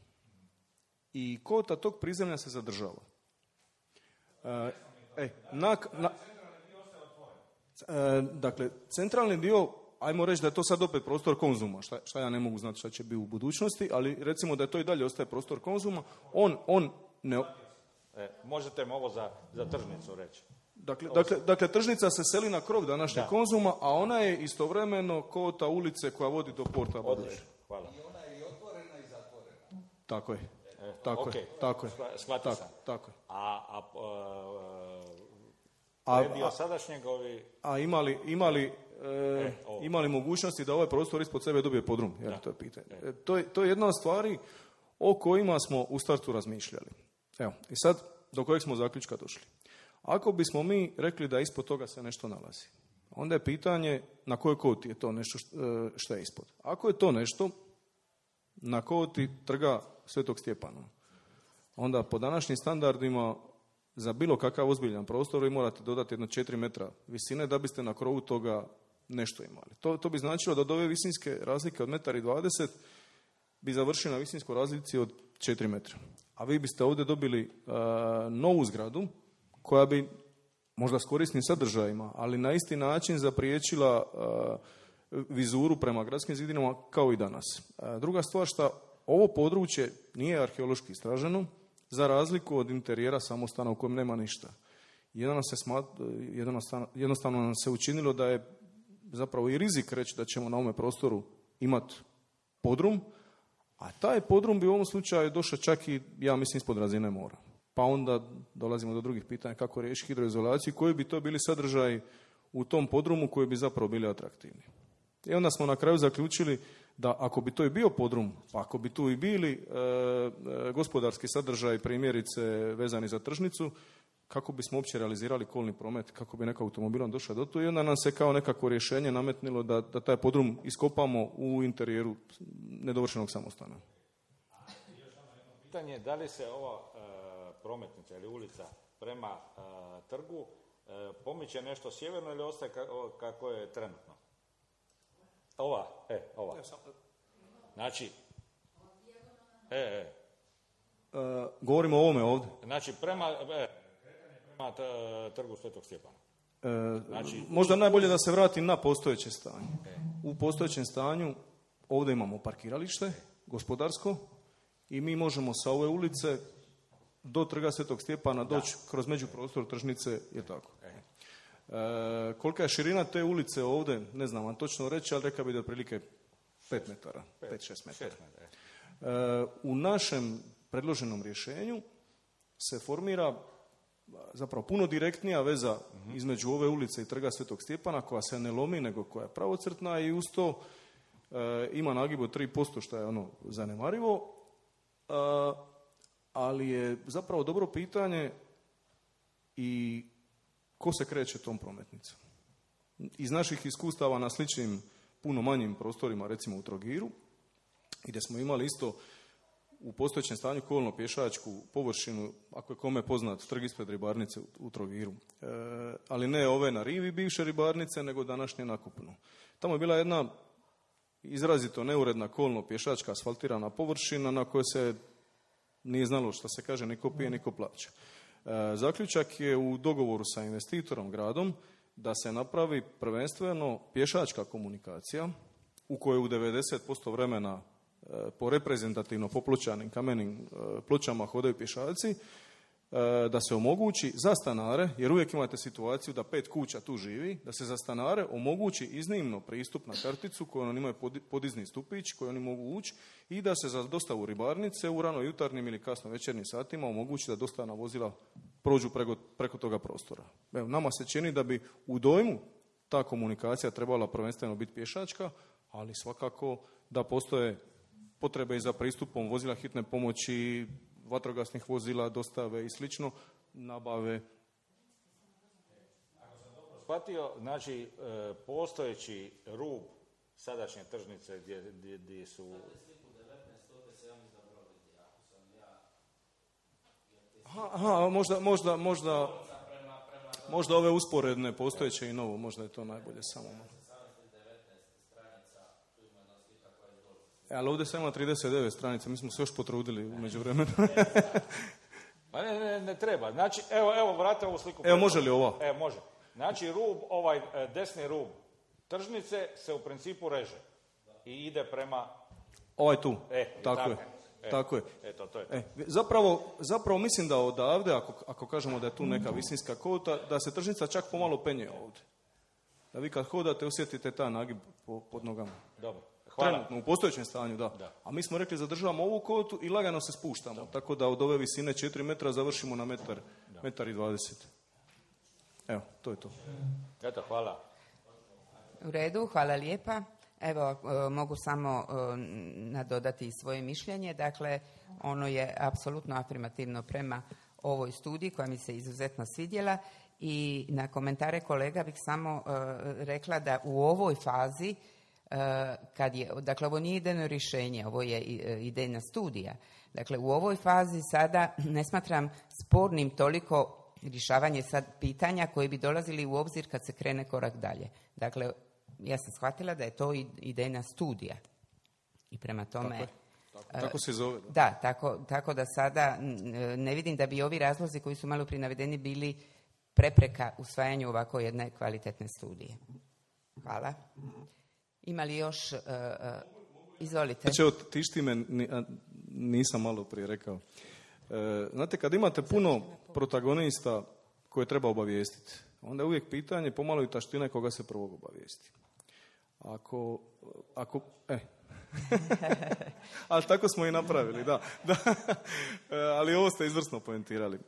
I kota tog prizemlja se zadržava. Dakle, centralni dio, ajmo reći da je to sad opet prostor Konzuma, šta ja ne mogu znati šta će biti u budućnosti, ali recimo da to i dalje ostaje prostor Konzuma, on ne... Možete mi ovo za tržnicu reći? Dakle, tržnica se seli na krov današnjeg Konzuma, a ona je istovremeno kota ulice koja vodi do porta Buduće. Hvala. I ona je i otvorena i zatvorena. Tako je. Tako je. Shvatio sam. Tako je. Dio sadašnjeg ovi... A imali mogućnosti da ovaj prostor ispod sebe dobije podrum? To je pitanje. To je jedna od stvari o kojima smo u startu razmišljali. Evo, i sad do kojeg smo zaključka došli. Ako bismo mi rekli da ispod toga se nešto nalazi, onda je pitanje na kojoj koti je to nešto što je ispod. Ako je to nešto na koti trga Svetog Stjepana, onda po današnjim standardima za bilo kakav ozbiljan prostor vi morate dodati jedno 4 metra visine da biste na krovu toga nešto imali. To bi značilo da od ove visinske razlike od 1,20 m bi završili na visinskoj razlici od 4 metra. A vi biste ovdje dobili novu zgradu koja bi možda s korisnim sadržajima, ali na isti način zapriječila vizuru prema gradskim zidinama kao i danas. Druga stvar što ovo područje nije arheološki istraženo, za razliku od interijera samostana u kojem nema ništa. Jednostavno nam se učinilo da je zapravo i rizik reći da ćemo na ovome prostoru imati podrum, a taj podrum bi u ovom slučaju došao čak i, ja mislim, ispod razine mora. Pa onda dolazimo do drugih pitanja kako riješiti hidroizolaciju, koji bi to bili sadržaji u tom podrumu koji bi zapravo bili atraktivni. I onda smo na kraju zaključili da ako bi to i bio podrum, pa ako bi tu i bili gospodarski sadržaj, primjerice vezani za tržnicu, kako bismo uopće realizirali kolni promet, kako bi neko automobilom došao do tu, i onda nam se kao nekako rješenje nametnilo da taj podrum iskopamo u interijeru nedovršenog samostana. Pitanje je da li se ova prometnica ili ulica prema trgu pomiče nešto sjeverno ili ostaje kako je trenutno? Ova. Znači, govorimo o ovome ovdje. Znači, prema trgu Svetog Stjepana. Znači, možda najbolje da se vratim na postojeće stanje. U postojećem stanju ovdje imamo parkiralište, gospodarsko, i mi možemo sa ove ulice do trga Svetog Stjepana doći kroz međuprostor tržnice, je tako. Kolika je širina te ulice ovdje, ne znam vam točno reći, ali rekao bi da je otprilike 5 metara, 5-6 metara. U našem predloženom rješenju se formira zapravo puno direktnija veza između ove ulice i Trga Svetog Stjepana, koja se ne lomi, nego koja je pravocrtna i uz to ima nagib od 3%, što je ono zanemarivo, ali je zapravo dobro pitanje i ko se kreće tom prometnicom. Iz naših iskustava na sličnim, puno manjim prostorima, recimo u Trogiru, gdje smo imali isto u postojećem stanju kolno-pješačku površinu, ako je kome poznat, trg ispred ribarnice u Trogiru. Ali ne ove na rivi bivše ribarnice, nego današnje na kopnu. Tamo je bila jedna izrazito neuredna kolno-pješačka asfaltirana površina na kojoj se nije znalo što se kaže, niko pije, niko plaća. Zaključak je u dogovoru sa investitorom, gradom, da se napravi prvenstveno pješačka komunikacija u kojoj u 90% vremena po reprezentativno popločanim kamenim pločama hodaju pješaci, da se omogući za stanare, jer uvijek imate situaciju da 5 kuća tu živi, da se za stanare omogući iznimno pristup na karticu koju oni imaju podizni stupić koji oni mogu ući i da se za dostavu ribarnice u rano jutarnjim ili kasno večernjim satima omogući da dostavna vozila prođu preko toga prostora. Evo, nama se čini da bi u dojmu ta komunikacija trebala prvenstveno biti pješačka, ali svakako da postoje potrebe i za pristupom vozila hitne pomoći, vatrogasnih vozila, dostave i slično, nabave. Ako sam dobro shvatio, znači postojeći rub sadašnje tržnice gdje su... Možda ove usporedne postojeće i novo, možda je to najbolje samo. Ali ovdje se ima 39 stranica, mi smo se još potrudili u međuvremenu. Pa ne treba. Znači, evo, vrati ovu sliku. Evo, može li ova? Evo, može. Znači, rub, ovaj desni rub tržnice se u principu reže i ide prema... Ovaj tu, tako je. Eto, to je. Zapravo mislim da odavde, ako kažemo da je tu neka visinska kota, da se tržnica čak pomalo penje ovdje. Da vi kad hodate osjetite ta nagib pod nogama. Dobro. Hvala. Trenutno, u postojećem stanju, da. A mi smo rekli zadržavamo ovu kotu i lagano se spuštamo. Da. Tako da od ove visine 4 metra završimo na metar i 20. Evo, to je to. Eto, hvala. U redu, hvala lijepa. Evo, mogu samo nadodati svoje mišljenje. Dakle, ono je apsolutno afirmativno prema ovoj studiji koja mi se izuzetno svidjela i na komentare kolega bih samo rekla da u ovoj fazi dakle, ovo nije idejno rješenje, ovo je idejna studija. Dakle, u ovoj fazi sada ne smatram spornim toliko rješavanje sad pitanja koji bi dolazili u obzir kad se krene korak dalje. Dakle, ja sam shvatila da je to idejna studija. I prema tome... Tako se zove. Da, tako da sada ne vidim da bi ovi razlozi koji su malo prije navedeni bili prepreka usvajanju ovako jedne kvalitetne studije. Hvala. Ima li još... izvolite. Znači, tišti me, nisam malo prije rekao. Znate, kad imate puno protagonista koje treba obavijestiti, onda je uvijek pitanje pomalo i taštine koga se prvog obavijesti. Ali tako smo i napravili, da. Ali ovo ste izvrsno poentirali.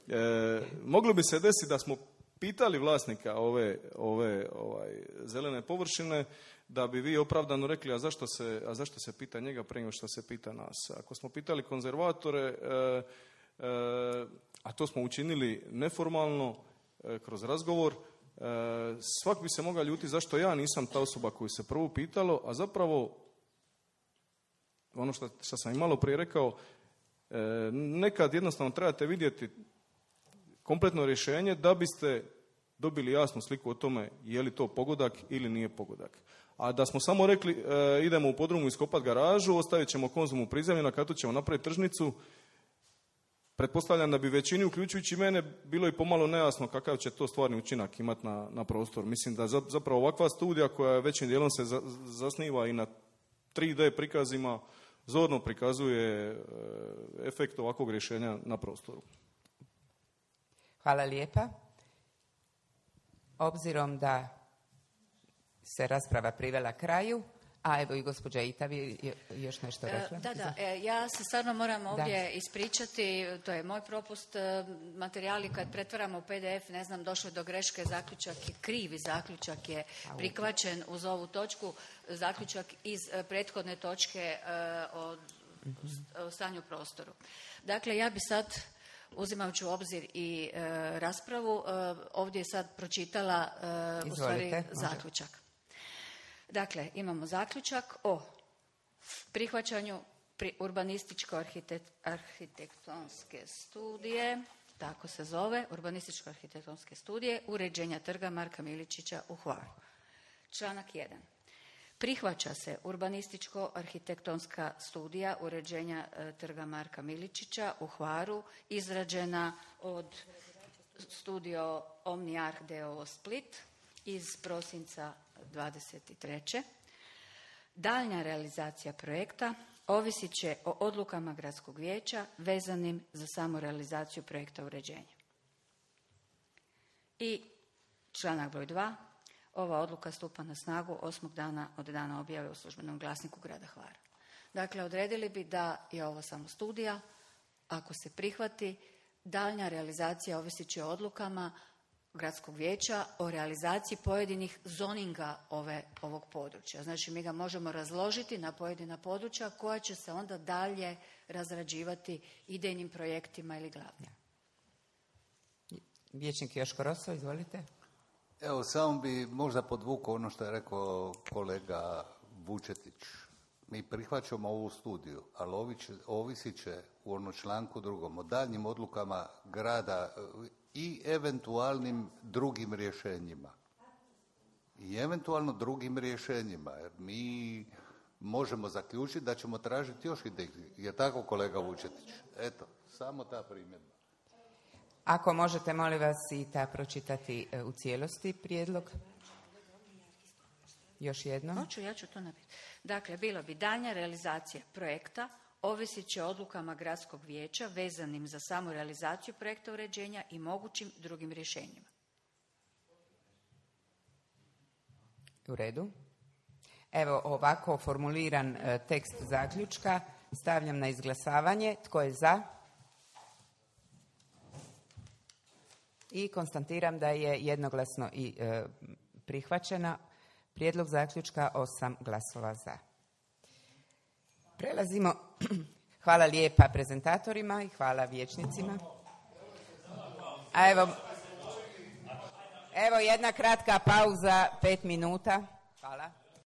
Moglo bi se desiti da smo pitali vlasnika ove zelene površine, da bi vi opravdano rekli, a zašto se pita njega prije nego što se pita nas. Ako smo pitali konzervatore, a to smo učinili neformalno, kroz razgovor, svak bi se mogao ljuti zašto ja nisam ta osoba koju se prvo pitalo, a zapravo ono što sam i malo prije rekao, nekad jednostavno trebate vidjeti kompletno rješenje da biste dobili jasnu sliku o tome je li to pogodak ili nije pogodak. A da smo samo rekli idemo u podrumu iskopati garažu, ostavit ćemo Konzum u prizemlju, na katu ćemo napraviti tržnicu, pretpostavljam da bi većini, uključujući mene, bilo i pomalo nejasno kakav će to stvarni učinak imati na prostor. Mislim da zapravo ovakva studija koja većim dijelom se zasniva i na 3D prikazima, zorno prikazuje efekt ovakvog rješenja na prostoru. Hvala lijepa. Obzirom da se rasprava privela kraju, A evo i gospođa Itavi još nešto rekla. Ja se stvarno moram ovdje ispričati, to je moj propust, materijali kad pretvaramo u PDF, ne znam, došlo je do greške, zaključak je krivi, zaključak je prihvaćen uz ovu točku, zaključak iz prethodne točke o stanju u prostoru. Dakle, ja bi sad, uzimajući u obzir i raspravu, ovdje sad pročitala u stvari zaključak. Dakle, imamo zaključak o prihvaćanju urbanističko-arhitektonske studije, tako se zove, urbanističko-arhitektonske studije uređenja trga Marka Miličića u Hvaru. Članak 1. Prihvaća se urbanističko-arhitektonska studija uređenja trga Marka Miličića u Hvaru, izrađena od Studio Omniarh d.o.o. Split iz prosinca 23. Daljnja realizacija projekta ovisit će o odlukama gradskog vijeća vezanim za samu realizaciju projekta uređenja. I članak broj 2. Ova odluka stupa na snagu 8. dana od dana objave u službenom glasniku grada Hvara. Dakle, odredili bi da je ovo samo studija. Ako se prihvati, daljnja realizacija ovisit će o odlukama gradskog vijeća o realizaciji pojedinih zoninga ovog područja. Znači, mi ga možemo razložiti na pojedina područja koja će se onda dalje razrađivati idejnim projektima ili glavnim. Vijećnik Joško Roso, izvolite. Evo, samo bi možda podvukao ono što je rekao kolega Vučetić. Mi prihvaćamo ovu studiju, ali ovisit će u onom članku 2. o daljnjim odlukama grada i eventualnim drugim rješenjima. Jer mi možemo zaključiti da ćemo tražiti još ideje. Je tako, kolega Vučetić? Eto, samo ta primjedba. Ako možete, molim vas, i ta pročitati u cijelosti prijedlog. Još jedno. Hoću, ja ću to napisati. Dakle, bilo bi daljnja realizacija projekta ovisit će o odlukama gradskog vijeća vezanim za samu realizaciju projekta uređenja i mogućim drugim rješenjima. U redu. Evo, ovako formuliran tekst zaključka stavljam na izglasavanje. Tko je za? I konstatiram da je jednoglasno i prihvaćena. Prijedlog zaključka 8 glasova za. Prelazimo. Hvala lijepa prezentatorima i hvala vijećnicima. A evo jedna kratka pauza, 5 minuta. Hvala.